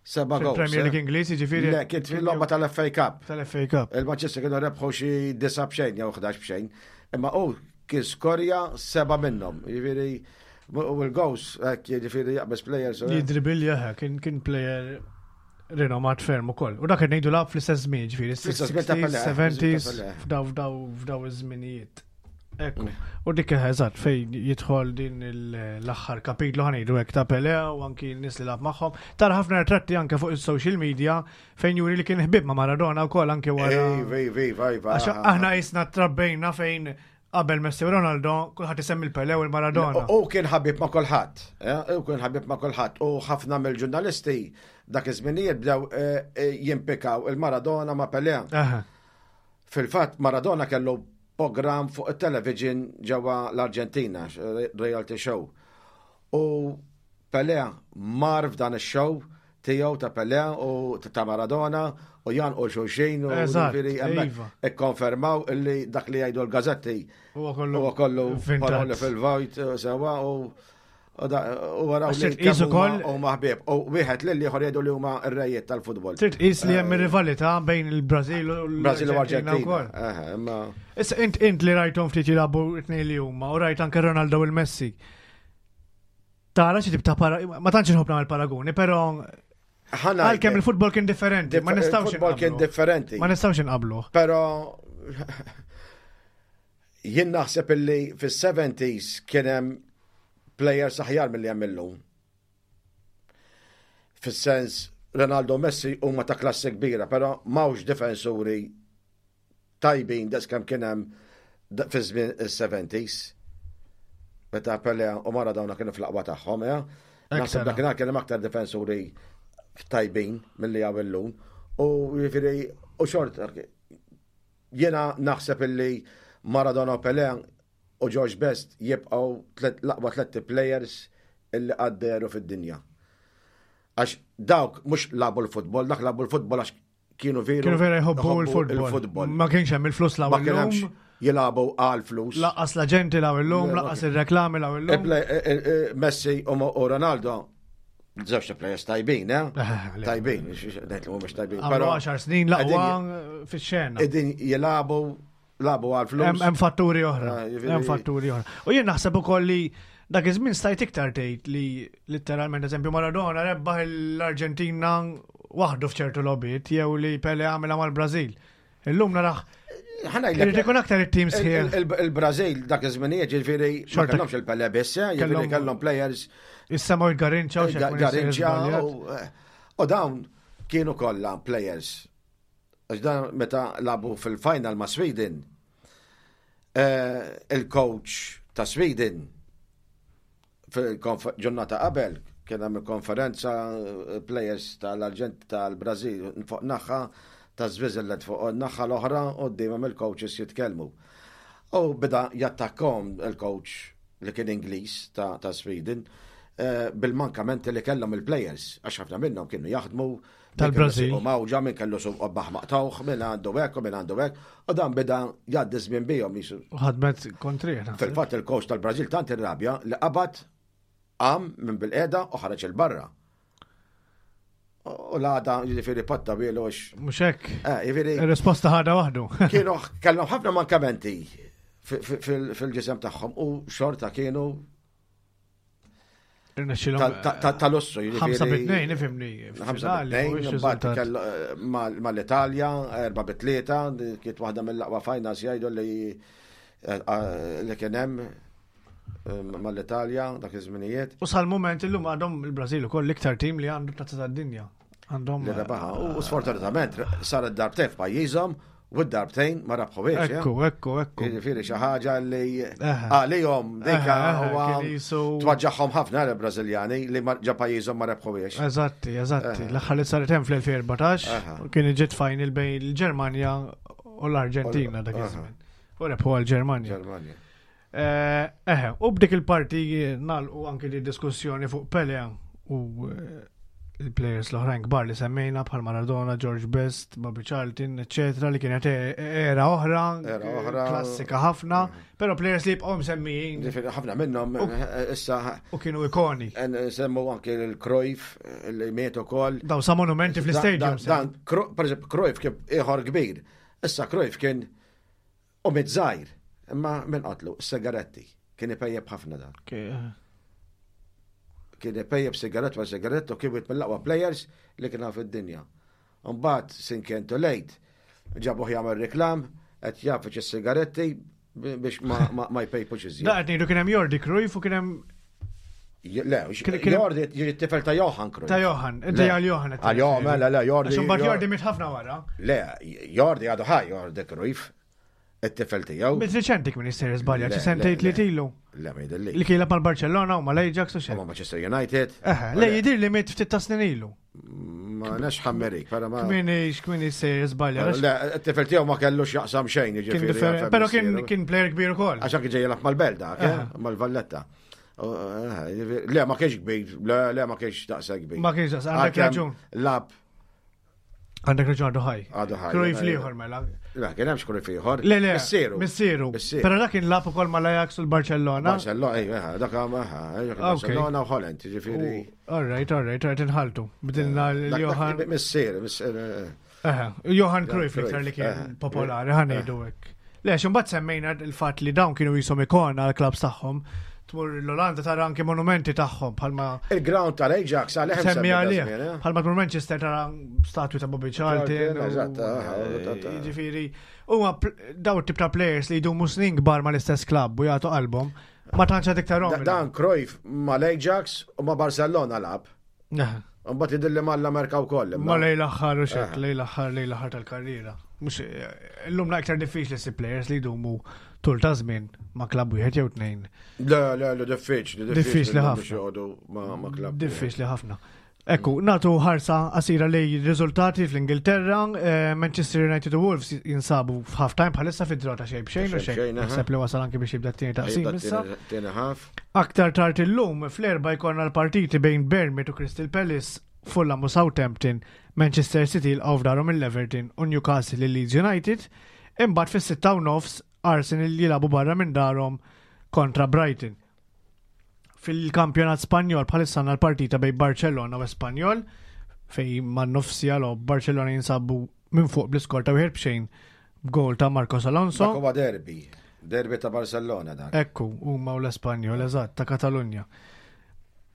Seba' goals. Premier League Ingliż, jiġifieri. Le, kien fil-logħba tal-F A Cup. Tal-F A Cup. Il-Manchester kienu rebħu xi disa' b'xejn jew ħdax b'xejn. Imma hu kien skorja seba' minnhom. Jiġifieri u l-goals, hekk jiġifieri jaqbeż players. Jidribilja, kien kien player rinomat ferm ukoll. U dak ngħidu lagħab fl-istess żmien, ġifieri sixties, seventies, f'daw f'daw f'daw iż-żminijiet. Ekku. U dik eżatt fejn jidħol din l-aħħar kapitlu ħa ngħidu hekk ta' Pelé u anki n-nies li lagħab magħhom. Tara ħafna ritratti anke fuq is-social media fejn juri li kien ħbib ma' Maradona wkoll anke wara. Għax aħna jisna trabbejna fejn qabel Messi u Ronaldo kulħadd isemmi l-Pelé u l-Maradona. U kien ħabib ma' kulħadd, u kien ħabib ma' kulħadd u ħafna mill-ġurnalisti dak iż-żminijiet bdew jimpikaw il-Maradona ma' Pelé. Fil-fatt Maradona kellu program fuq it-television ġewwa l-Arġentina, reality show. U Pelé mar f'dan ix-show tiegħu ta' Pelé u ta' Maradona u jan u xulxin u ġifieri hemmhekk ikkonfermaw illi dak li jgħidu l-gazetti huwa kollu huwa kollu paroli fil-vojt sewwa u u waraw li u maħbib. U wieħed lil ieħor jgħidu li huma r-rejiet tal-futbol. Trid tqis li hemm rivalità bejn il-Brażil u Brażil u Arġentina. Issa int int li rajthom ftit jilagħbu t-tnejn li huma u rajt anke Ronaldo u l-Messi. Tara xi tip ta' para ma tantx inħobb nagħmel paraguni, però għalkemm il-futbol kien differenti, ma nistgħux Il-futbol kien differenti. Ma nistgħux inqablu. Però jien naħseb illi fis-seventies kien hemm players aħjar milli hemm illum. Fis-sens Ronaldo Messi huma ta' klassi kbira, però m'hawnx difensuri tajbin daqs kemm kien hemm fi żmien is-seventies. Meta Pelé u Maradona kienu fl-aqwa tagħhom, ja. Naħseb dakinhar kien hemm aktar difensuri tajbin milli hawn illum. U jiġifieri u xort jiena naħseb illi Maradona u Pelé u George Best jibqgħu l-aqwa tliet players illi għadderu fid-dinja. Għax dawk mhux lagħbu l-futbol, dak lagħbu l-futbol għax kienu veru Kienu vera jħobbu jħobbu l-futbol. Ma kienx hemm il-flus Ma law kien hemmx illum. jilagħbu għal flus. Laqqas l-aġenti law illum, laqqas ir-reklami law illum. Messi u Ronaldo żewġ players tajbin, eh? Tajbin, ngħid li mhumiex tajbin. Għamlu għaxar snin l-aqwa fix-xena. Qegħdin jilagħbu lagħbu għal flus. Hemm fatturi oħra. Hemm fatturi oħra. U jien naħseb ukoll li dak iż-żmien stajt iktar tgħid li litteralment eżempju Maradona rebbaħ l-Arġentina waħdu f'ċertu logħbiet jew li Pelé għamilha mal-Brażil. Illum naraħ Irid ikun aktar it-team sħiħ. Il-Brażil dak iż-żminijiet ġifieri ma kellhomx il-Pelé biss, ġifieri kellhom players. Issa il-Garrincha u Garrincha u dawn kienu kollha players. Għax dan meta lagħbu fil-final ma' Sweden, il-coach ta' Sweden fil-ġurnata qabel kien hemm konferenza players tal-Arġent tal-Brażil fuq naħa ta' Switzerland fuq naħa l-oħra u dejjem il-coaches jitkellmu. U beda jattakkom il-coach li kien Ingliż ta', ta Sweden bil-mankamenti li kellhom il-players, għax ħafna minnhom kienu jaħdmu tal-Brażil. U mawġa minn kellu suq baħ maqtawh, minn għandu hekk u minn għandu hekk, u dan beda jgħaddi żmien bihom jisu. U ħadmet kontri. Fil-fatt il-coach tal-Brażil tant irrabja li qabad qam minn bil-qiegħda u ħareġ il-barra. U l-għada jiġifieri patta bielu għax. Mhux hekk. Eh, jiġifieri. Ir-risposta ħadha waħdu. Kienu kellhom ħafna mankamenti fil-ġisem tagħhom u xorta kienu tal-lussu. Ħamsa bit-tnejn, ifhimni. Ħamsa bit-tnejn, mbagħad mal-Italja, erba' bit-tlieta, kienet waħda mill-aqwa finals jgħidu li li kien hemm mal-Italja dak iż-żminijiet. U sal-moment illum għandhom il-Brażil ukoll l-iktar tim li għandu tazza tad-dinja. Għandhom li rebaħa. U sfortunatament saret darbtejn f'pajjiżhom u d-darbtejn ma rabħuhiex. Ekku, ekku, ekku. Jiġifieri xi ħaġa li għalihom dik huwa twaġġaħħom ħafna l-Brażiljani li ġa pajjiżhom ma rebħuhiex. Eżatti, eżatti. L-aħħar li saret hemm fl-elfejn erbatax kien ġiet final bejn il-Ġermanja u l-Arġentina dak iż-żmien. U rebħu għall-Ġermanja. Ġermanja. Eh, Eħe, u b'dik il-parti nagħlqu anki di diskussjoni fuq Pele u eh, il-players l-oħrajn kbar li semmejna bħal Maradona, George Best, Bobby Charlton, eccetera, li kienet e- era oħra, Era oħra. klassika ħafna, pero players li jibqgħu msemmijin Ġifieri, ħafna minnhom eh, issa u kienu ikoni. Semmu anki l-Cruyff li miet ukoll. Daw sa monumenti fl-stadium. Dan, dan, per eżempju, Cruyff kien ieħor kbir. Issa Cruyff kien u miet żgħir, imma minn qatlu, sigaretti. Kien ipejjeb ħafna dan. Kien ipejjeb sigarett ma sigarett u kien wieħed mill-aqwa players li kien fid-dinja. Mbagħad sin kien too late, ġabuh jagħmel reklam, qed jagħfiġ is-sigaretti biex ma, ma, ma jpejpux iżjed. Da qed ngħidu kien hemm Jordi Cruyff u kien hemm Le, Kien- kien- Jordi jiġi t-tifel ta' Johan Cruyff. ta' Johan, inti Le. għal Johan. qed Għal Johan, mela, le, Jordi. Għax imbagħad Jordi miet ħafna wara. Le, Jordi għadu ħaj, Jordi Cruyff, it-tifel tiegħu. Miet riċenti kien jista' żbalja, Le, xi sentejn le, li le. tilu. Le, ma jidhirli. Li kien mal Barcellona u mal-Ajax u xejn. Ma Manchester United. Eħe, le jidir li miet ftit ta' snin ilu. Ma nafx ħammerik, pero ma. Kmini kmini sejjer żbalja. Le, it-tifel tiegħu ma kellux jaqsam xejn, Kien jiġifieri. differenti, għalfejn pero kien missieru. kien player kbir ukoll. Għax anki ġej jilgħab mal-Belt dak, eh, Aha. mal-Valletta. U, eh, jiġifieri- Le, ma kienx kbir, le, le, ma kienx daqshekk kbir. Ma kienx daqs, għandek Għalkemm raġun. Lab, Għandek raġun għadu ħaj. Għadu ħaj, Cruyff għadu- liħor mela. le, kien hemmx Cruyff ieħor. Le, le. Missieru. Missieru. Missieru. Pero dak kien lagħab ukoll mal-Ajax u l-Barcellona. Barcellona, ejja, dak eh, Barcellona u Holland, jiġifieri. All right, all right, all right, inħaltu. Bdilna Dak- dak l-Johan. Missier, missier. eh, Eħe, Johan Cruyff Cruyff, iktar li kien eħe. popolari, ħa ngħidu hekk. Le, xumbat semmejna il-fat li dawn kienu jisom ikona għal-klabs tagħhom. Tmur l-Olanda tara anke monumenti tagħhom bħalma Il-ground tal-Ajax għalih semmi għalih. Bħalma tmur Manchester tara statwi ta' Bobby Charlton. Charlton, u- eżatt, aha, eżatt, aha. Jiġifieri, huma pl- daw tip ta' players li jdumu snin kbar mal-istess klabb u jagħtu qalbhom, ma tantx għad iktar Da- Dan Cruyff ma l-Ajax u ma Barcellona lagħab. Mbagħad jidhirli mal-Amerika wkoll. imma- Ma lejn l-aħħar u xek, Eh. lejn l-aħħar, lejn l-aħħar tal-karriera. Mux, illum la iktar diffiċli si players li jdumu tul ta' żmien ma' klabb wieħed jew tnejn. Le, le, le, diffiċli. Diffiċli biex ħafna. joqogħdu ma' ma' klabb. Diffiċli ħafna. Ekku, natu ħarsa qasira lej riżultati fl-Ingilterra, eh, Manchester United u Wolves jinsabu f'half time bħalissa fid-draw ta' xejn b'xejn u Ta' xejn xejn. b'xejn, aha. Naħseb li wasal anki biex jibda t-tieni taqsim Jibda issa. t-tieni- tieni half. Aktar tard illum fl-erba jkollna l-partiti bejn Bournemouth u Crystal Palace, Fulham u Southampton, Manchester City l f'darhom il-Everton u Newcastle il Leeds United, imbagħad fis-sitta u nofs Arsenal jilagħbu barra minn darhom kontra Brighton. Fil-kampjonat Spanjol bħalissa għandna l-partita bejn Barcellona u Espanyol fej man nofsija logħob Barcellona jinsabu minn fuq bl-iskor ta' wieħed b'xejn b'gol ta' Marcos Alonso. Dak huwa derby. Derby ta' Barcellona dak. Ekku, huma u l-Espanjol, eżatt, ta' Katalunja.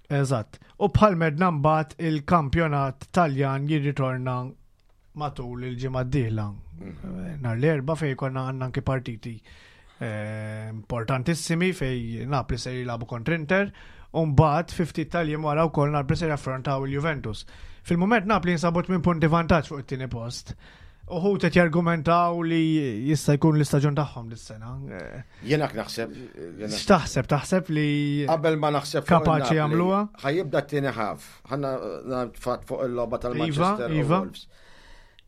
Eżatt. U bħal medna mbagħad il-kampjonat Taljan jirritorna matul il-ġimgħa d-dieħla. Mm. Nhar l-erba' fej konna għandna anki partiti eh, importantissimi fej Napli se jilagħbu kontra Inter u mbagħad fi ftit tal-jiem wara wkoll Napli se jaffrontaw il-Juventus. Fil-mument Napli jinsabu tmien punti vantaġġ fuq it-tieni post. Uħud qed jargumentaw li jista' jkun l-istaġun tagħhom dis-sena. Eh, Jiena naħseb. jiena- X'taħseb? Taħseb li Qabel ma naħseb fuq Kapaċi il-Napli, jagħmluha? Ħa jibda t-tieni half. Ħanna fatt fuq il-logħba tal-Manchester Iva, u iva. Wolves.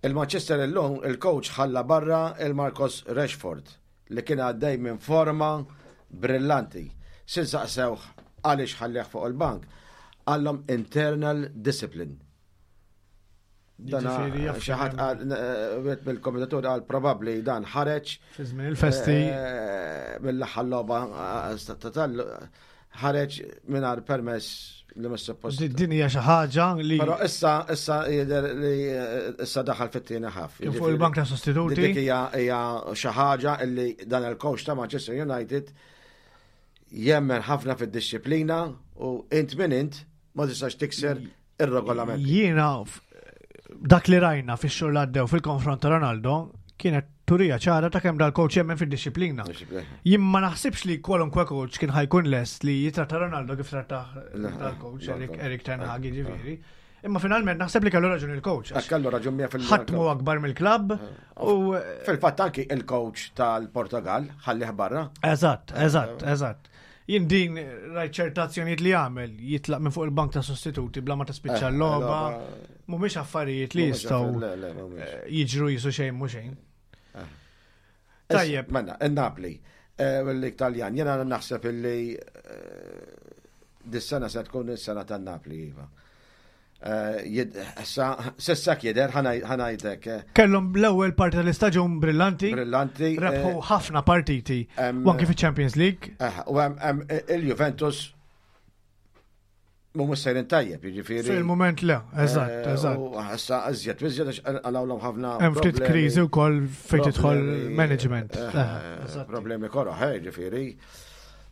Il-Manchester illum il-coach ħalla barra il-Marcus Rashford li kien għaddej minn forma brillanti. Sin saqsewh għaliex ħallih fuq il-bank. Qallhom internal discipline. Dana Jiġifieri jaf xi ħadd qal eh, wieħed mill-kommentatur qal probabbli dan ħareġ fi żmien il-festi Eh, mill-aħħar logħba eh, ta' tal ħareġ mingħajr permess li mhux suppost. Di- din hija xi ħaġa li Però issa issa jidher li eh, issa daħal fit-tieni half. kien fuq il-bank ta' sostituti. Dik hija hija xi ħaġa li dan il-coach ta' Manchester United jemmen ħafna fid-disciplina u int min int ma tistax tikser ir-regolament. Jiena f- dak li rajna fix-xhur li għaddew fil-konfront ta' Ronaldo kienet turija ċara ta' kemm dal-coach jemmen fid-disciplina. Jien ma naħsibx li kwalunkwe coach kien ħa jkun lest li jitratta Ronaldo kif trattah dal-coach Le, Erik, le. Erik Ten Hag jiġifieri. Imma finalment naħseb li kellu raġun il-coach. għax Kellu raġun mija fil- Ħadd mhu akbar mill-klabb u Fil-fatt anki il-coach tal-Portugal ħallih barra. Eżatt, eżatt, eżatt. Jien din rajt ċerta azzjonijiet li jagħmel jitlaq minn fuq il-bank ta' sostituti bla ma tispiċċa Eh, l-logħba. logħba. Mhumiex affarijiet li Mhumiex jistgħu affarijiet, le, le, mhumiex. eh, jiġru jisu xejn mhu xejn. Tajjeb. Menna, il-Napli. L-Italjan, jena naħseb illi eh, dis-sena se tkun is-sena tan-Napli, iva. Eh, jid- Issa, s'issa jidher, ħa ngħidlek, eh, Kellhom l-ewwel parti tal-istaġun brillanti, brillanti. eh, rebħu ħafna partiti em, u anki fiċ-Champions League. eh, U hemm hemm il-Juventus mhumiex sejrin tajjeb, jiġifieri. Fil-moment le, eżatt, Eh, eżatt. U issa iżjed, iżjed għax qalgħulhom ħafna. Hemm ftit problemi. kriżi wkoll fejn tidħol Problemi, management. eh, Eh, eżatt. Problemi koroh, eh, ġifieri.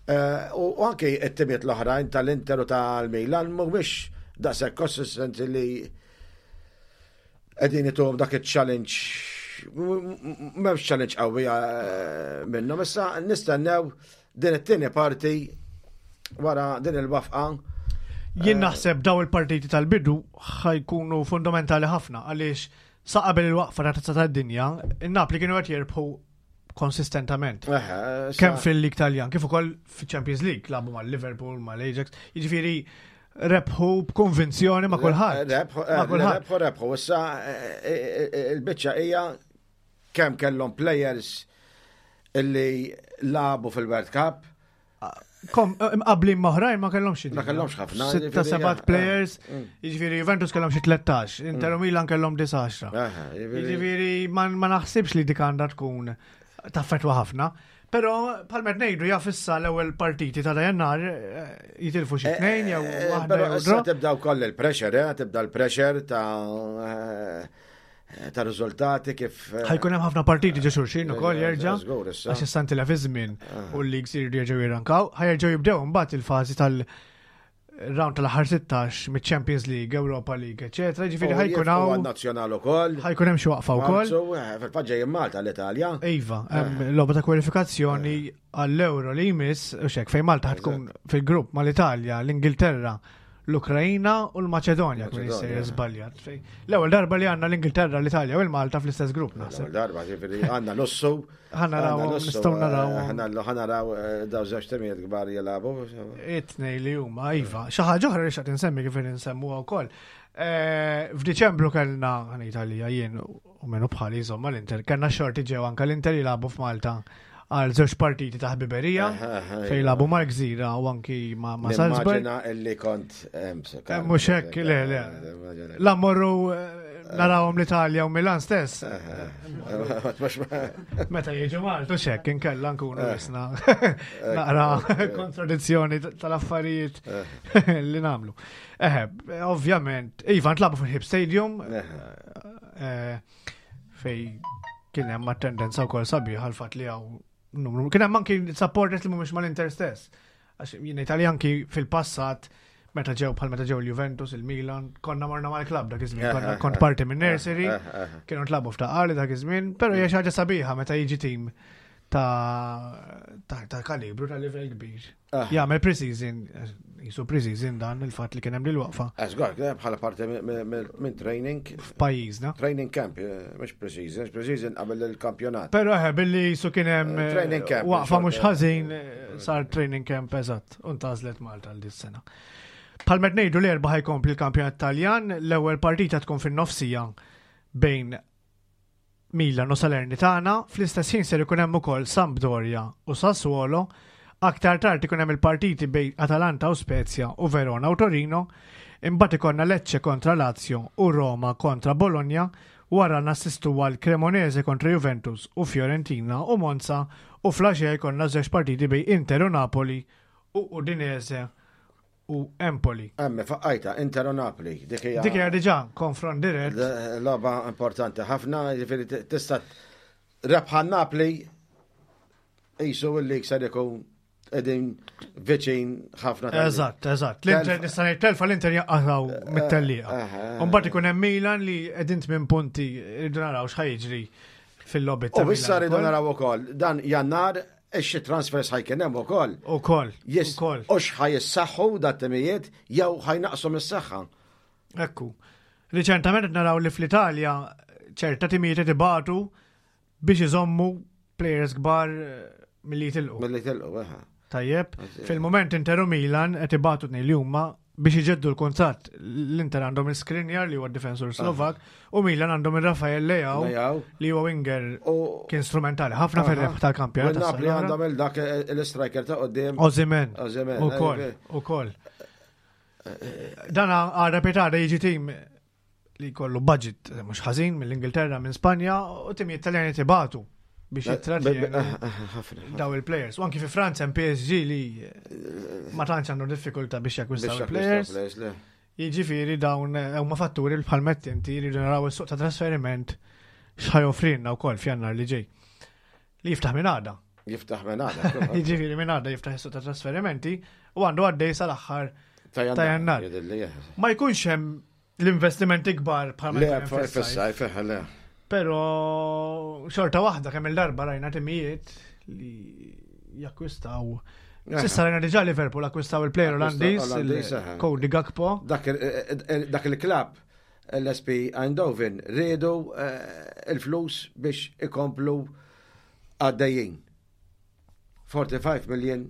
Eh, U u anke it-timiet l-oħrajn tal-Inter u tal-Milan mhumiex daqshekk konsistenti li qegħdin ituhom dak il-challenge m'hemmx challenge qawwi eh, minnhom. Issa nistennew din it-tieni parti wara din il-waqfa. Jien naħseb daw il-partiti tal-bidu ħa jkunu fundamentali ħafna għaliex sa qabel il-waqfa ta' tazza tad-dinja, il-Napli kienu qed jirbħu konsistentament. Eh, issa- Kemm fil-Lig Taljan, kif ukoll fil-Champions League, lagħbu mal-Liverpool, mal-Ajax, jiġifieri rebħu b'konvinzjoni ma' kulħadd. Rebħu, Ma' kulħadd. rebħu, rebħu. Issa eh, eh, il-biċċa hija kemm kellhom players illi lagħbu fil-World Cup. Kom, imqablin m'oħrajn ma kellhomx xi Ma kellhomx ħafna, Sitta jiġifieri, sebat eh, players, mm. jiġifieri Juventus kellhom xi tlettax, Inter u Milan kellhom disa għaxra. Aha, jiġifieri- Jiġifieri ma ma naħsibx li dik għandha tkun taffetwa ħafna. Però bħalma ngħidu jaf issa l-ewwel partiti ta' Jannar eh, jitilfu xi tnejn jew Eh, waħda Però jew issa draw. tibda wkoll il-pressure, eh, tibda l-pressure ta' eh, ta' riżultati kif. eh, Ħa jkun hemm ħafna partiti ġo xulxin ukoll Eh, jerġa'. żgur issa. Għax issa ntilef iż-żmien u l-leagues iridu jerġgħu jirrankaw, ħa jerġgħu jibdew imbagħad il-fażi tal- round tal-aħħar sittax mit-Champions League, Europa League, eċetera. Ġifieri U ħa jkun jifqu hawn għan-nazzjonal ukoll. ħa jkun hemm xi waqfa wkoll. Marzu, eh, Fil-fatt ġejjin Malta l-Italja. Iva, hemm logħba ta' kwalifikazzjoni għall-Euro li jmiss, u xek, fejn Malta ħa tkun fil-grupp mal-Italja, l-Ingilterra, l-Ukrajina u l-Maċedonja, kien Maċedonja. jissejjer żbaljat. Fejn- L-ewwel darba li għandna l-Ingilterra, l-Italja u l-Malta fl-istess grupp naħseb. L-ewwel darba, ġifieri għandna lussu. Ħa naraw, għandna lussu, nistgħu naraw. eh, ħa ħa naraw eh, daw żewġ timijiet kbar jilagħbu. It-tnej li huma, iva. Xi ħaġa oħra li xtaqt insemmi kif insemmuha wkoll. Eh, F'Diċembru kellna għan Italija jien u minnu bħali insomma l-Inter, kellna xorti ġew anka l-Inter jilagħbu f'Malta għal żewġ partiti ta' ħbiberija fejn jilagħbu mal-Gżira u anki ma' ma' Salzburg. Nimmaġina illi kont hemm. Eh, Mhux hekk, le, le. La morru eh, narawhom l-Italja u Milan stess. Meta jiġu Malta, u xek, inkella nkunu jisna naqra kontradizzjoni tal-affarijiet li nagħmlu. Eħe, ovvjament, iva, ntlagħbu fil-Hip Stadium, eh, fej kien hemm attendenza wkoll sabiħa l-fatt li hawn numru. Kien hemm anki supporters li mhumiex mal-Inter stess. Għax jien Italja anki fil-passat meta ġew bħal meta ġew il-Juventus, il-Milan, konna morna mal-klab dak iż-żmien, konna kont parti minn nursery, kienu ntlagħbu f'Ta' Qali dak iż-żmien, però hija xi ħaġa sabiħa meta jiġi tim ta' ta' ta' kalibru ta' livell kbir. Jagħmel pre-season, jisu pre-season dan il-fatt li kien hemm waqfa Żgur, bħala parti minn training, f'pajjiżna. training camp, eh, mhux pre-season, pre-season qabel il-kampjonat. Però eħe, billi jisu kien hemm Eh, training camp, waqfa mhux xorta. ħażin eh, sar training camp eżatt, u ntgħażlet Malta għal dis-sena. Bħalma ngħidu l-Erbgħa ħa jkompli l-kampjonat Taljan, l-ewwel partita tkun fin-nofsija bejn Milan u Salernitana, fl-istess ħin ser ikun hemm ukoll Sampdoria u Sassuolo, aktar tard ikun hemm il-partiti bejn Atalanta u Spezia u Verona u Torino, imbagħad ikollna Lecce kontra Lazio u Roma kontra Bologna, wara nassistu għal Cremonese kontra Juventus u Fiorentina u Monza u filgħaxija jkollna żewġ partiti bejn Inter u Napoli u Udinese u Empoli. Emmi, faqqajta, Inter u Napoli, dik hija. Dik hija diġà konfront dirett. Logħba importanti ħafna, ġifieri tista' rebħa Napli jisu illi ser ikun qegħdin viċin ħafna. tal- Eżatt, eżatt. L-Inter nista' ngħid telfa l-Inter jaqgħu mit-tellieqa. Eh, U mbagħad ikun hemm Milan li qegħdin tmien punti rridu naraw x'ħa jiġri fil-lobby ta' U issa rridu Milan. naraw ukoll dan Jannar ix transfers ħa jkun hemm ukoll. Ukoll. Yes, Ukoll. u x'ħa jissaħħu dat-timijiet jew ħa jnaqsu mis-saħħa. Ekku. Riċentament qed naraw li fl-Italja ċerta timijiet qed ibatu biex iżommu players kbar eh, milli jitilqu. Milli tilqu, eħe. Tajjeb, fil-moment Inter u Milan qed ibatu tnejn li huma biex iġeddu l-kuntratt. L-Inter għandhom il-Skriniar li huwa difensur Slovak u Milan għandhom il-Rafael Leao Leao. li huwa winger U kien strumentali ħafna fir-rebħ tal-kampjonat. U Napli tas-sena l-oħra. għandhom il-dak l-striker ta' qoddim. Osimhen. Osimhen, Ukoll, eh, ukoll. Dan għara pitada jiġi tim li kollu budget mhux ħażin mill-Ingilterra, minn Spanja u tim Italjani tibatu biex jittratjenu Ħafna. daw il-players. U anki fi Franza hemm P S G li ma tantx għandu diffikultà biex jakkwistaw il-players. Players, le. Jiġifieri dawn eh, huma fatturi li bħal inti li naraw is-suq ta' trasferiment x'ħa joffrilna wkoll f'Jannar li ġej. Li jiftaħ minn għada. Jiftaħ minn għada. Jiġifieri minn għada jiftaħ is-suq ta' trasferimenti u għandu għaddej sal-aħħar Ta' Ta' Jannar. Jidhirli, eh. Ma jkunx hemm l-investimenti kbar bħal ma Le, jkun hemm fis-sajf. fis-sajf, eh, le. Però xorta waħda kemm il-darba rajna timijiet li jakkwistaw. S'issa rajna diġà Liverpool akkwistaw il-player Akkwistaw Olandiż, Olandiż, eh. Cody Gakpo. Dak il- dak il-klab l-P S V Eindhoven riedu eh, il-flus biex ikomplu għaddejjin. forty-five million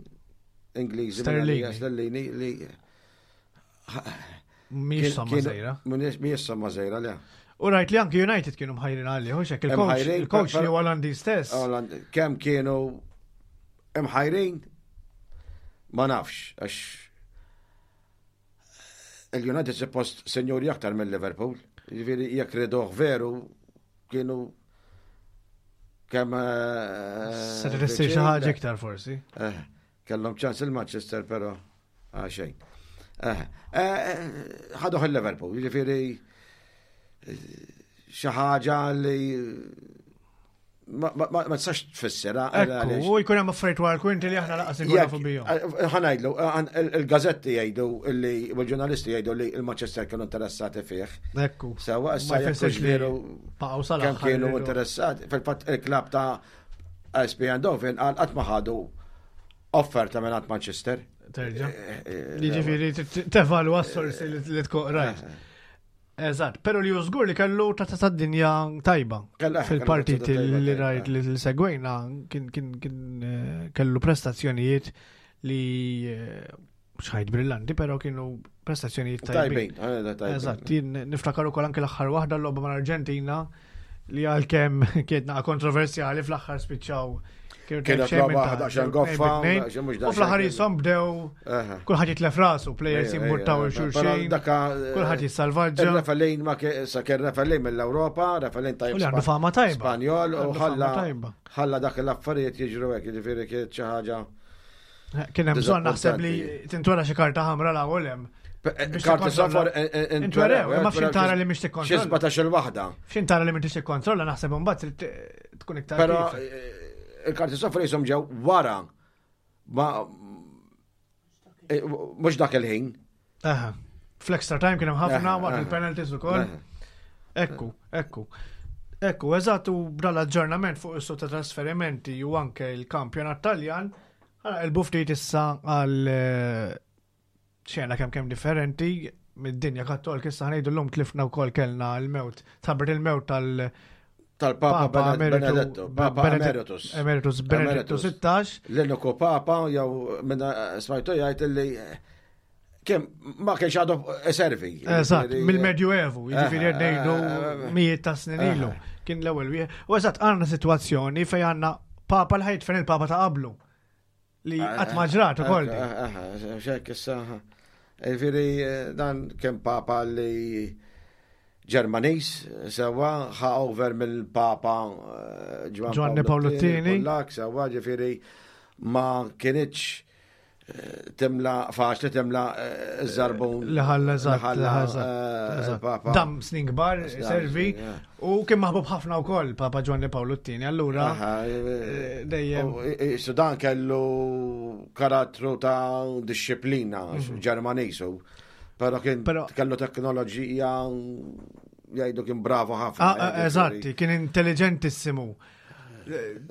Ingliżi Sterlini. Sterlini li Mhix somma żgħira. Mhix somma żgħira, le. U rajt li anki United kienu mħajrin għalih, hux hekk, il-coach, Imħajrin, il-coach per- li huwa Olandiż stess. Oland- Kemm kienu imħajrin ma nafx, għax il-United suppost senjuri aktar mill Liverpool. Jiġifieri jekk riduh veru kienu kemm eh, Se tissir xi ħaġa iktar forsi. Eh, Kellhom ċans il-Manchester, però ah, xejn. Eh, eh, ħaduh il-Liverpool, jiġifieri eh, xi ħaġa li ma ma- ma ma tistax tfissirha. Ekku, u jkun hemm affarijiet wara l-kwinti li aħna lanqas inkun nafu bihom. Ħa ngħidlu, il-gazetti jgħidu li, u l-ġurnalisti jgħidu li il-Manchester kienu interessati fih. Ekku. Sewa, issa Ma jekk jfissirx hux li veru baqgħu sal-aħħar kemm kienu iridu. interessati. Fil-fatt il-klab ta' P S V Eindhoven għal qatt ma ħadu offerta minn Manchester. Terġa'. Eh, eh, Jiġifieri tevalwa s-sorsi li li tkun rajt. Eżatt, pero li żgur li kellu ta' ta' dinja tajba. Kellu- eh, Fil-partiti kellu tazza li tajba, rajt li li segwejna kien kien kien eh, kellu prestazzjonijiet li eh, xajt brillanti, pero kienu prestazzjonijiet tajbin. Tajbin, eh, tajbin. Eżatt, jien niftakar ukoll anke l-aħħar waħda, l-logħba mal-Arġentina, li għalkemm kienet naqa kontroversjali, fl-aħħar spiċċaw kienu Kienet xejn minn logħba ta' daqsxejn tnejn goffa, bi tnejn. daqsxejn mhux U fl-aħħar daqsxejn. jisom bdew Aha. kulħadd jitlef rasu, players Ejja, jimbuttaw ejja, il-xulxin, però daka, eh, kulħadd jissalvaġġa. Il-referee ma kien sa kien referee mill-Ewropa, referee tajb U li għandu fama tajba. Spanjol u Għandu fama ħalla tajba. ħalla dak l-affarijiet jiġru hekk, jiġifieri kienet xi ħaġa. Kien hemm bżonn naħseb li Diżappuntanti. tintwera xi karta ħamra la u hemm. Biex Karti tikkontrolla- sofor Intwerew, imma f'xin tara li mhix Xi tikkontrolla. sbatax-il waħda. F'xin tara li m'intix tikkontrolla, naħseb imbagħad trid tkun iktar Però kif. eh, il-karti sofor jisom ġew wara ma eh, mhux dak il-ħin. Aha. Fl-extra time kien hemm ħafna Aha, waqt aha. il-penalties ukoll. Aha. Ekku, ekku. Ekku, eżatt, u b'dal aġġornament fuq is-suq ta' trasferimenti u anke il-kampjonat Taljan, ħa naqilbu ftit issa għal eh, xena kemm kemm differenti mid-dinja kattolika. Issa ħa ngħidu llum tlifna wkoll, kellna l-mewt, tħabbret il-mewt tal- Tal-Papa Papa Benedetto, Papa Benedetto- Emeritus. Emeritus Benedetto Emeritus. sittax. L-uniku Papa jew minna smajtu jgħid li kemm ma kienx għadu servi. Eżatt, Jiġifieri, mill-Medjuevu, jiġifieri Eh, qed ngħidu eh, eh, mijiet ta' snin ilu. Kien l-ewwel wieħed. U eżatt għandna sitwazzjoni fejn għandna Papa li ħa jidfen il-Papa ta' qablu. Li qatt ma ġrat ukoll din. Xek, issa. Jiġifieri, dan kien Papa li Ġermaniż, sewa, ħa over mill-Papa eh, Giovanni Paolo Tieni. Pollak, sewa, ġifieri ma kienx eh, timla, faċli timla eh, iż-żarbun. Li ħalla eżatt, li ħalla, li ħalla, eh, eżatt. il-Papa. Dam snin kbar, Dam servi, snin, ja. u kien maħbub ħafna wkoll Papa Giovanni Paolo Tieni. Allura Aha, eh, dejjem U, i- i- Sudan kellu karattru ta' disċiplina Ġermaniż, u però kien Mhm. Però- kellu teknoloġija, jgħidu kien bravo ħafna. Ah, ah, Eżatti, kien intelligentissimu.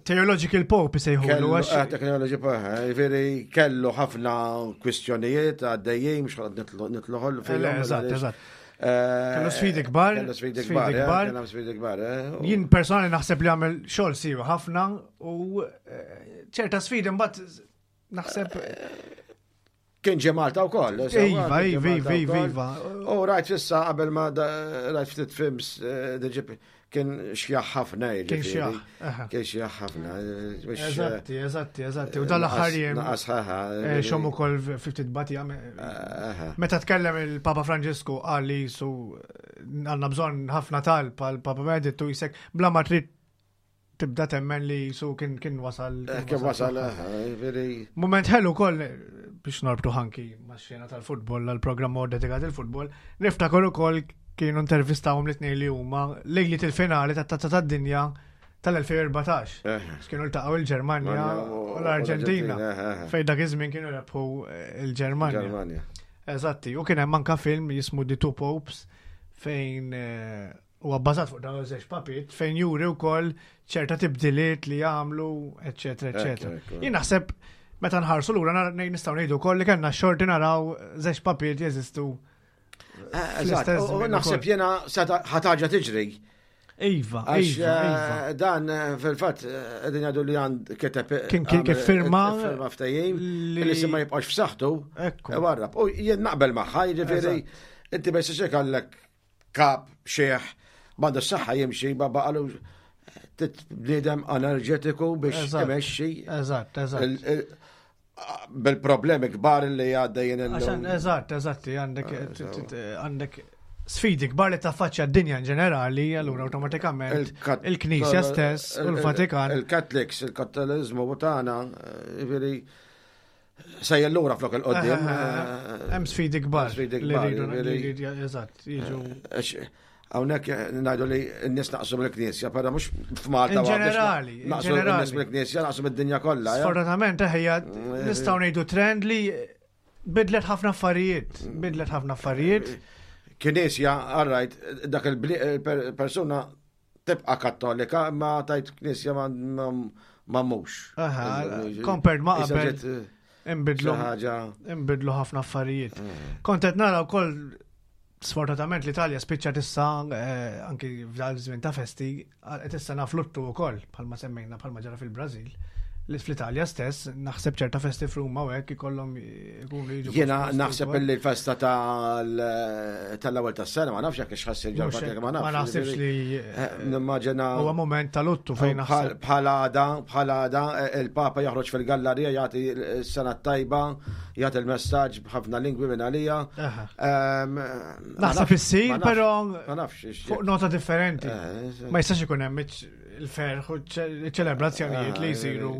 Theological Pope sejħulu Kellu, għax eh, teknoloġi, ġifieri kellu ħafna kwistjonijiet għaddejjin, mhux ħad nitluħol Le, eżatt, eżatt. Kellu Kellu sfidi kbar, Kellu sfidi sfidi kbar, eh, kbar. kellu sfidi kbar. eh, u- Jien personali naħseb li għamel xogħol siwi ħafna u eh, ċerta sfidi mbagħad naħseb Kien ġie Malta wkoll. Iva, iva, iva, iva, iva. U rajt fissa qabel ma rajt ftit films eh, kien xjaħ ħafna. Kien xjaħ. Kien xjaħ ħafna. Eh, eżatti, eżatti, eżatti. U dal-aħħar jiem. Naqas ħaħa. Eh, Xom ukoll ftit batija. Meta tkellem il-Papa Franġisku qal li su għandna bżonn ħafna talb għal Papa Benedittu jisek bla ma trid tibda temmen li su kien kien wasal. Kien wasal, veri. Moment ħelu koll biex norbtu ħanki ma' xena tal-futbol, għal-programm dedikat il-futbol, niftakar ukoll kienu intervistawhom li tnejn li huma lejliet il-finali tat-Tazza tad-Dinja tal-elfejn u erbatax. Kienu ltaqgħu il-Ġermanja u l-Arġentina. Fejn dak iż-żmien kienu rebħu il-Ġermanja. Eżatti, u kien hemm anka film jismu The Two Popes fejn huwa bbażat fuq dawn iż-żewġ papiet fejn juri wkoll ċerta tibdiliet li jagħmlu, eċetera, eċetera. Jien naħseb meta nħarsu lura nistgħu ngħidu wkoll li kellna xorti naraw żewġ papiet jeżistu. Eżatt, u naħseb jiena ħataġa tiġri. Iva, iva, iva. Dan fil-fatt qegħdin jgħidu li għand kiteb Kien kien kif firma firma ftehim li se ma jibqax f'saħħtu. Warrab. U jien naqbel magħha, jiġifieri inti ma jistax għallek kap xieħ m'għandu s-saħħa jimxi ma baqalu bniedem enerġetiku biex imexxi. Eżatt, eżatt. Bil-problemi kbar li għaddejjin illum. Eżatt, eżatt, għandek għandek sfidi kbar li taffaċċja d-dinja in ġenerali, allura awtomatikament il-Knisja stess u l-Vatikan. Il-Catholics, il-Kattoliżmu tagħna, jiġifieri sejjer lura flok il-qoddim. Hemm sfidi kbar li rridu eżatt, jiġu. Hawnhekk ngħidu li n-nies naqsu mill-Knisja, però mhux f'Malta. In ġenerali, naqsu n-nies mill-Knisja, naqsu mid-dinja kollha. Sfortunatament ħejja nistgħu ngħidu trend li bidlet ħafna affarijiet, bidlet ħafna affarijiet. Knisja, all right, dak il-persuna tibqa' kattolika, ma tajt knisja ma mhux. Aha, compared ma qabel. Imbidlu imbidlu ħafna affarijiet. Kont qed nara wkoll sfortunatament l-Italja spiċċat issa anki f'dal żmien ta' festi qed issa nafluttu wkoll bħalma semmejna bħalma ġara fil-Brażil. Li fl-Italja stess naħseb ċerta festi f'Ruma u hekk ikollhom ikunu jiġu. Jiena naħseb li l-festa tal-ewwel tas-sena ma nafx jekk x'ħassir ġol ma nafx. Ma naħsibx li nimmaġina huwa moment ta' luttu fejn naħseb. Bħala għada, bħala għada il-Papa joħroġ fil-gallerija jagħti s-sena tajba, jagħti l-messaġġ b'ħafna lingwi minn għalija. Naħseb issir, però fuq nota differenti. Ma jistax ikun hemm il-ferħ u ċelebrazzjonijiet li jsiru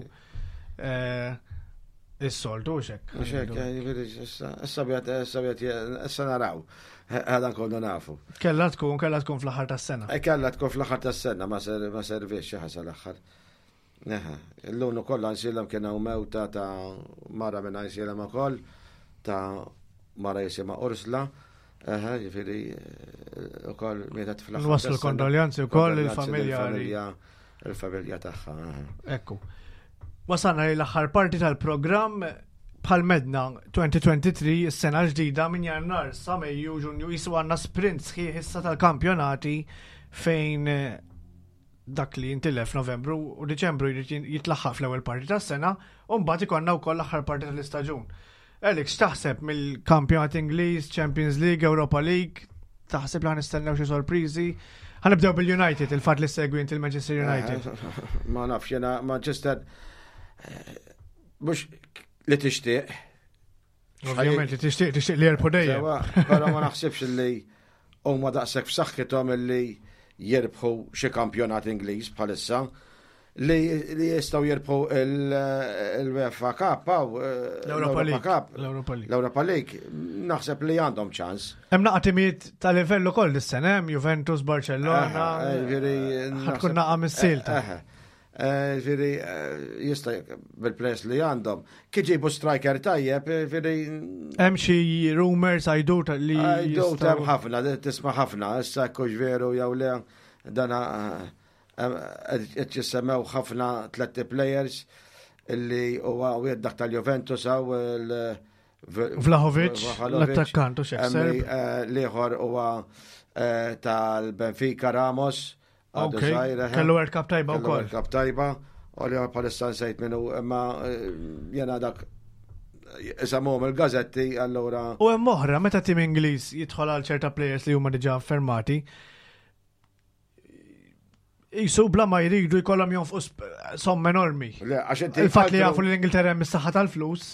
is-soltu xek. Xek, issa bjat, issa bjat, issa naraw. Għadan kollu nafu. Kella tkun, kella tkun fl-aħħar tas-sena. Kella tkun fl-aħħar tas-sena, ma servix xi ħasa l-aħħar. Illum ukoll għansilhom kien hawn mewta ta' mara minn għansilhom ukoll ta' mara jisimha Ursla. Aha, jiġifieri ukoll mietet fl-aħħar. Nwasslu kondoljanzi wkoll il-familja. Il-familja tagħha. Ekku. Wasalna li l-aħħar parti tal-programm bħal medna twenty twenty-three, is-sena ġdida minn Jannar sa Mejju, Ġunju, jisu għandna sprint sħiħ issa tal-kampjonati fejn dak li jintilef Novembru u Diċembru jrid jitlaħħaq fl-ewwel parti tas-sena u mbagħad ikollna wkoll l-aħħar parti tal-istaġun. Alex, x'taħseb mill-kampjonat Ingliż, Champions League, Europa League? Taħseb li ħanistennew xi sorpriżi? Ħanibdew bil-United, il-fatt li segwi inti il-Manchester United. Ma nafx jiena Manchester mhux li tixtieq. Ovvjament li tixtieq, tixtieq li jerbħu dejjem. Però ma naħsibx li huma daqshekk f'saħħithom illi jirbħu xi kampjonat Ingliż bħalissa li jistgħu jirbħu il-UEFA Cup aw l-Europa League. L-Europa League. L-Europa League naħseb li għandhom ċans. Hemm naqa' timijiet ta' livell ukoll dis-sena hemm Juventus, Barcellona. Ħatkun naqa' mis-silta. Ġifieri jista' bil-players li għandhom. Kif ġibu striker tajjeb, ġifieri Hemm xi rumors għajdu li Għajdu hemm ħafna, tisma' ħafna, issa kux veru jew le dana qed jissemmew ħafna tliet players illi huwa wieħed dak tal-Juventus hawn Vlahovic, l-attakkant u xek Serb. L-ieħor huwa tal-Benfica Ramos. Ok, kellu World Cup tajba wkoll. World Cup tajba, u li bħalissa nsejt minnu, imma jena dak Isemmuhom il-gazetti, allura. U hemm oħra, meta tim Ingliż jidħol għal ċerta players li huma diġà affermati, jisu bla ma jridu jkollhom jonfqu sp- somm enormi. Le, għax inti. Il-fatt li altru- jafu li l-Ingilterra hemm is-saħħa tal-flus.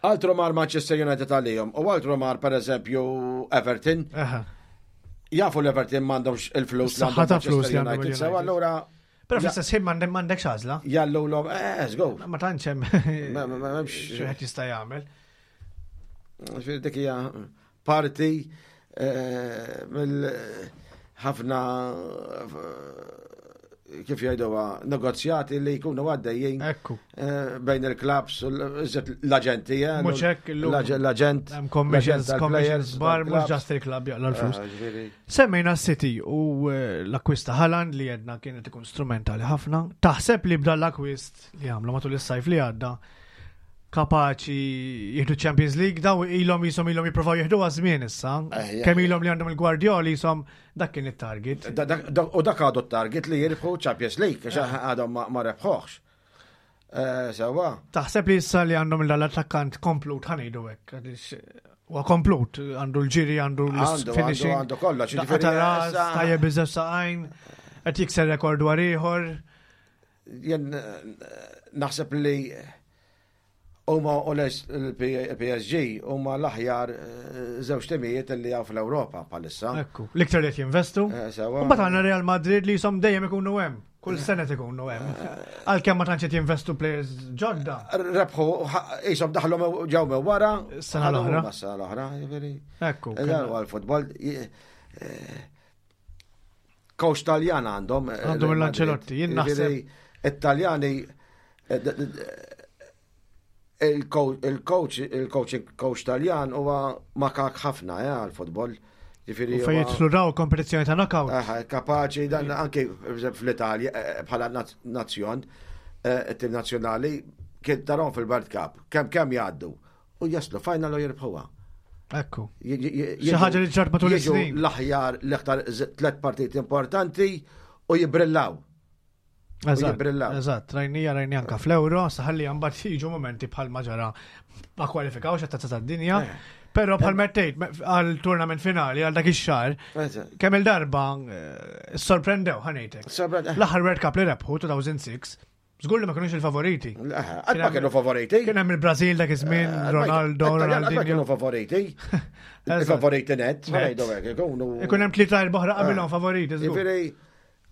Altru mar Manchester United għalihom, u altru mar per eżempju Everton. Aha. Jafu l-Everton m'għandhomx il-flus li Is-saħħa għandhom ta' flus Manchester li għandhom United. il-United. Sew allura Però fl-istess ħin m'għandek m'għandekx għażla. jallu l-om, eh, go. Ma tantx hemm Ma- ma- ma- m'hemmx- xi jista' jagħmel. Ġifieri dik hija parti eh, mill ħafna eh, kif jgħiduha negozjati li jkunu għaddejjin Ekku. eh, bejn il-clubs u l- iżjed l-aġenti. eh, Mhux hekk illum. L-aġent. Hemm commissions, l-aġent commissions tal-players, bar, mhux tal-clubs. just il-club jaqla l-flus. Eh, ġifieri. Semmejna City u eh, l-akkwist ta' Haaland li jedna kienet ikun strumentali ħafna. Taħseb li b'dan l-akkwist li għamlu matul is-sajf li għadda kapaċi jieħdu Champions League daw ilhom jisom ilhom jippruvaw jieħdu żmien issa. Eh, ja. Kemm ilhom li għandhom il-Guardiola jisom dak kien it-target. Da- da- da- U dak għadu t-target li jirbħu Champions League, għax għadhom ma- ma rebħuħx. Eh, Sewa. Taħseb li issa li għandhom l-attakkant komplut ħa ngħidu hekk għaliex huwa komplut, għandu l-ġiri, għandu Għandu, l-finishing. għandu, għandu kollox, Daqqa ġifieri ta' ras, issa- tajjeb iżewġ saqajn, qed jikser rekord wara ieħor. Jien eh, naħseb li huma u l-P S G huma l-aħjar eh, żewġ timijiet li hawn fl-Ewropa bħalissa. Ekku, l-iktar li qed jinvestu. Eh, Sewa. U mbagħad għandna Real Madrid li jisom dejjem ikunu hemm. Kull sena ikunu hemm. Għalkemm ma tantx qed jinvestu players ġodda. Rebħu, jisom daħlu me- ġew minn wara. Is-sena l-oħra. ħadu Is-sena l-oħra, ġifieri. Ekku. Dan huwa l-futbol. Eh, Coach Taljan għandhom. eh, Għandhom Real l-Ancelotti, Madrid. jien naħseb- Ġifieri, It-Taljani eh, d- d- il-coach il-coach il-coaching coach Taljan huwa makak ħafna eh, għal-futbol. Ġifieri U fejn huwa- jidħlu daw kompetizzjoni ta' knockout. Aha, kapaċi dan anke per eżempju, fl-Italja eh, bħala naz- nazzjon, eh, it-tim nazzjonali kien tarahom fil-World Cup, kemm kemm jgħaddu u jaslu final u jirbħuha. Ekku. J- j- j- Xi ħaġa li ġrat matul jiġu is-snin. l-aħjar l-iktar z- tlet partiti importanti u jibrillaw. Eżatt, jibrillaw. eżatt, rajnija rajnija anka fl-Euro, saħalli mbagħad jiġu momenti bħal ma ġara ma kwalifikawx għat-tazza tad-dinja. Eh. Però bħal mettejt għal tournament finali għal dak ix-xahar, kemm il-darba eh, sorprendew ħa ngħidlek. Sorprende- L-aħħar World Cup li rebħu elfejn u sitta, żgur li ma kinux il-favoriti. Qatt ma kienu favoriti. Kien hemm il-Brażil dak iż-żmien, Eh, Ronaldo, Qatt ma kienu Ronaldinho. favoriti. Eżatt. Il-favoriti net, Net. ngħidu hekk, ikunu. Ikun hemm tlieta erba' qabilhom favoriti żgur. Ġifieri,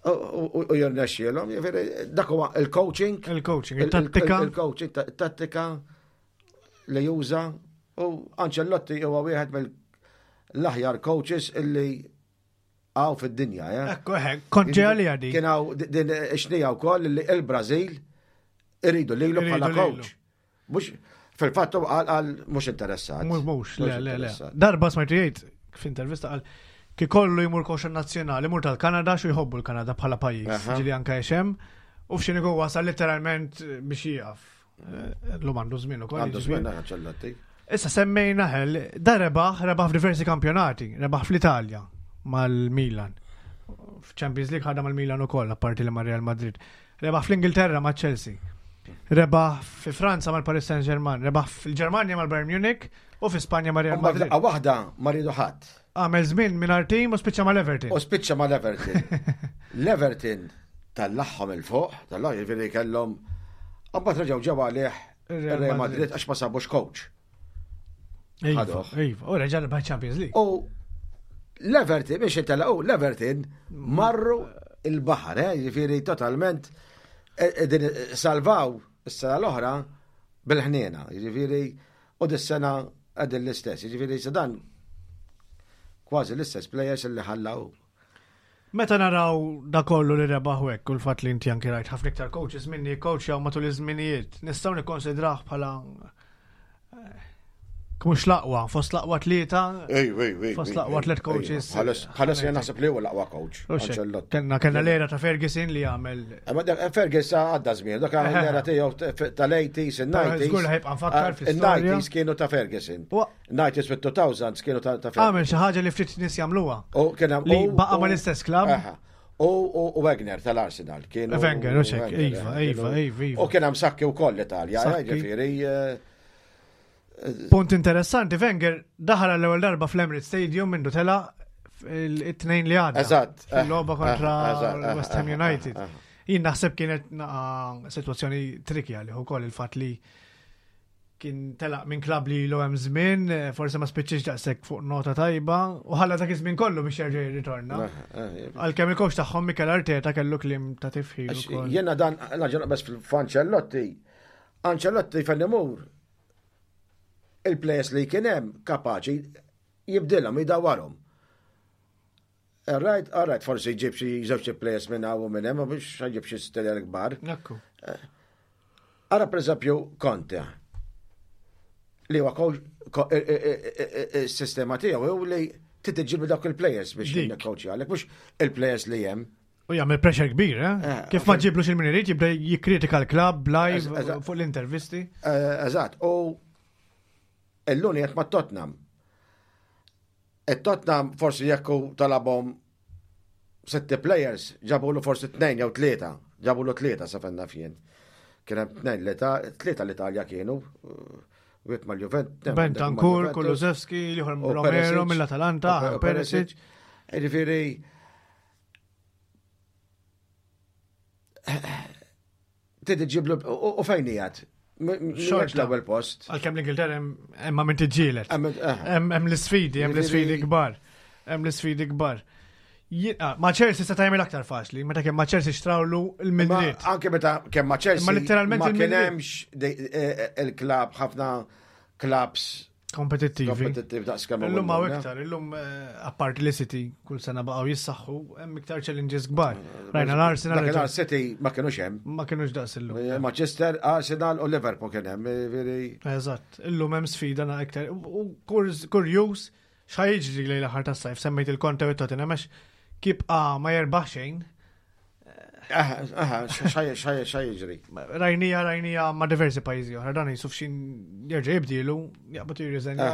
u- u u jirnexxielhom, ġifieri, dak huwa il-coaching. Il-coaching, il- il-tattika. il- Il-coaching, ta- tattika li juża. U Ancelotti huwa wieħed mill-aħjar coaches illi hawn fid-dinja. eh. Ekku, eh, kont ġej għalija di. Kien hawn din xnija wkoll li il-Brażil iridu lilu Iridu bħala lilu. coach. Mhux fil-fatt hu qal qal mhux interessat. Mhux mhux, le, le, le. interessat. Darba smajtu jgħid f'intervista qal ki kollu jmur coach nazzjonali, jmur tal-Kanada xu jħobbu l-Kanada bħala pajjiż, Aha. ġili anka jexem, u f'xini hu wasal letteralment biex jieqaf. Eh, L-lum għandu żmien ukoll. Għandu jiġifieri. żmien Ancelotti. Issa semmejna ħel, da rebaħ, rebaħ f'diversi kampjonati, rebaħ fl-Italja mal-Milan. F'Champions League ħadha mal-Milan ukoll, apparti li ma' Real Madrid. Rebaħ fl-Ingilterra ma' Chelsea. Rebaħ fi Franza mal-Paris Saint-Germain, rebaħ fil-Ġermanja mal-Bayern Munich u fi Spanja ma' Real U mbagħad Madrid. laqgħa waħda ma riedu ħadd. Għamel żmien mingħajr team u spiċċa mal-Everton. U spiċċa ma l-Everton. L-Everton tellagħhom 'il fuq, tellagħhom jiġifieri kellhom. Mbagħad reġgħu ġew għalih Il-Real Real Madrid. Madrid għax ma sabux coach. Iva, ħaduh. iva, u reġa' rebaħ Champions League. U l-Everton, biex intelaqu, l-Everton marru il-baħar, eh, jiġifieri totalment eh, eh, din salvaw is-sena l-oħra bil-ħniena, jiġifieri u dis-sena qegħdin l-istess, jiġifieri se dan kważi l-istess players li ħallaw. Meta naraw da kollu li rebaħ hekk u l-fatt li inti anki rajt ħafna iktar coaches minni coach matul iż-żminijiet, nistgħu nikkonsidrah bħala eh, mhux l-aqwa, fost l-aqwa tlieta. Ej, ej, ej. Fost l-aqwa tliet coaches. Bħalissa jien naħseb li huwa l-aqwa coach. U xek, Ancelotti. Kellna kellna l-era ta' Ferguson li għamel Ma dak- Ferguson għadda żmien, dak l-era tiegħu tal-eighties, il-nineties. Żgur li ħajbqa' nfakkar fl-istorja. Il-nineties kienu ta' Ferguson. U nineties with two thousands kienu ta' ta' Ferguson. għamel xi ħaġa li ftit nies jagħmluha. U kien hemm- Li u- baqa' u- mal-istess klabb. Aha. U u- u Wenger tal-Arsenal kienu. Wenger, u xek, Wenger, iva, eh, iva, kienu- iva, iva. U kien hemm Sacchi wkoll l-Italja, eh, Sacchi. ġifieri. eh, Punt interessanti, Wenger daħal l-ewwel darba fl-Emirates Stadium mindu tela it-tnejn li għadda. Eżatt. Fil-logħba kontra Eżatt, West Ham eh, United. eh, eh. Jien naħseb kienet naqa situazzjoni tricky għalih ukoll il-fatt li kien telaq minn klab li ilu hemm żmien, eh, forse ma spiċċiex daqshekk fuq nota tajba, u ħalla dak iż-żmien kollu biex jerġa' jirritorna. Eh, eh, Għalkemm il-coach tagħhom Mikel Arteta kellu kliem ta' tifħir Għax ukoll. Jena dan, naġa bes fil-Ancelotti, Ancelotti fejn imur, il-players li kien hemm kapaċi jibdilhom, jdawarhom. Right, all right, forsi jġib xi żewġ players minn hawn u minn hemm, biex jġib xi stelja kbar. Ekku. Ara per eżempju Conte, li huwa coach- ko- i- i- i- i- is-sistema tiegħu hu li trid dawk il-players biex Dik. jikkoċi għalek, mhux il-players li hemm. U jagħmel pressure kbir, eh? Eh, Kif ma ġiblux il-min irid jibda jikkritika l-klabb live Eżatt. fuq l-intervisti. Eh, Eżatt, u illum qed ma' Tottenham. Il-Tottenham forsi jekku talabhom sette players, ġabulu forsi tnejn jew tlieta, ġabulu tlieta sa fejn naf jien. Kien hemm tnejn l-Ita- tlieta l-Italja kienu, wieħed mal-Juventus. Bentancur, Kulusevski, l-ieħor u Romero Perisic. mill-Atalanta, U Perisic. Ġifieri Trid iġiblu u u fejn qiegħed? Xorta. Xorta l-ewwel post. Għalkemm l-Ingilterra hemm hemm ma min tiġġieled. Hemm- eh. Hemm hemm l-isfidi, hemm l-isfidi Jiġifieri- kbar. Hemm l-isfidi kbar. Jien- ah, Ma Chelsea se tagħmel aktar faċli, meta kemm ma Chelsea xtrawlu l-Madrid. Ma Anke meta kemm ma Chelsea. Ma letteralment ma kien il-Madrid. hemmx de- eh, eh, il-klab ħafna klabs Kompetittivi. kompetittiv daqs kemm Illum hawn iktar, illum eh, apparti li City kull sena baqgħu jissaħħu, hemm iktar challenges kbar. Rajna l-Arsenal Dakinhar City ma kienux hemm. ma kienux daqs illum. Manchester, Arsenal u Liverpool kien hemm. Jiġifieri- Eżatt, illum hemm sfida na iktar. U kurz- kurjuż x'ħa jiġri lejn l-aħħar tas-sajf, semmejt il-Conte u Tottenham għax kibqa ma jerbaħ xejn. Aha, aha, x'ħaj x'ħaj x'ħaj jiġri. Rajnija, rajnija ma' diversi pajjiżi oħra, dan jisuf xin jerġa' jibdilu, jaqbad jirriżenja.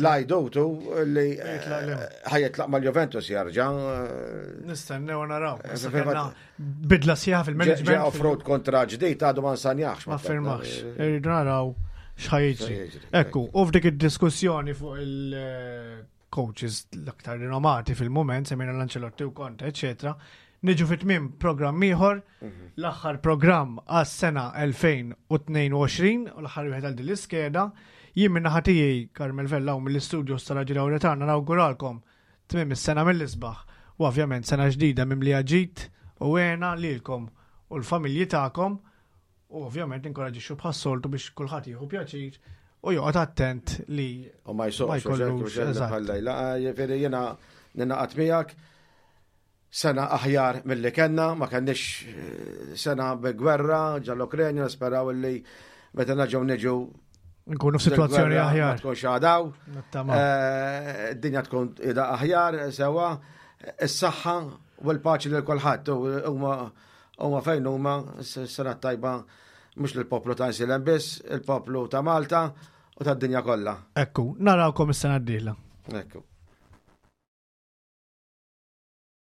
Lajdutu li Jitlaq lem. ħajitlaq mal-Juventus jarġa'. eh, Nistennew naraw. Issa fil-fatt- kellna Bidla sħiħa Ġe fil-management. offroad kontra ġdid għadu ma nsanjax. Ma firmax. Irridu naraw x'ħa jiġri. X'ħa jiġri, Ekku, u f'dik id-diskussjoni fuq il-coaches l-aktar rinomati fil-moment, semmejna l-Ancelotti u Conte, eccetera, niġu fit tmiem programm ieħor, l-aħħar programm għas-sena elfejn u tnejn u għoxrin u l-aħħar wieħed għal din l-iskeda. Jien minn naħa tiegħi Carmel Vella u mill-istudios tal-Raġi Lauretana nawguralkom tmiem is-sena mill-isbaħ u ovvjament sena ġdida mimlija ġid u hena lilkom u l-familji tagħkom u ovvjament inkoraġixxu bħas-soltu biex kulħadd jieħu pjaċir u joqgħod attent li U ma Ma jsuqx, jkollux, eżatt. bħal-lejla. Ġifieri jiena ninaqat miegħek sena aħjar mill-li kellna, ma kenniex eh, sena bi gwerra ġall-Ukrenja, nisperaw li meta naġgħu niġu nkunu f'sitwazzjoni del-gwerra Ma aħjar. tkunx għadaw. Nittama. Eh, Id-dinja tkun ida aħjar, sewa, is-saħħa u l-paċi lil kulħadd u huma huma fejn huma s-sena tajba mhux lill-poplu ta' Għajnsielem biss, il-poplu ta' Malta u tad-dinja kollha. Ekku, narawkom is-sena d-dieħla. Ekku.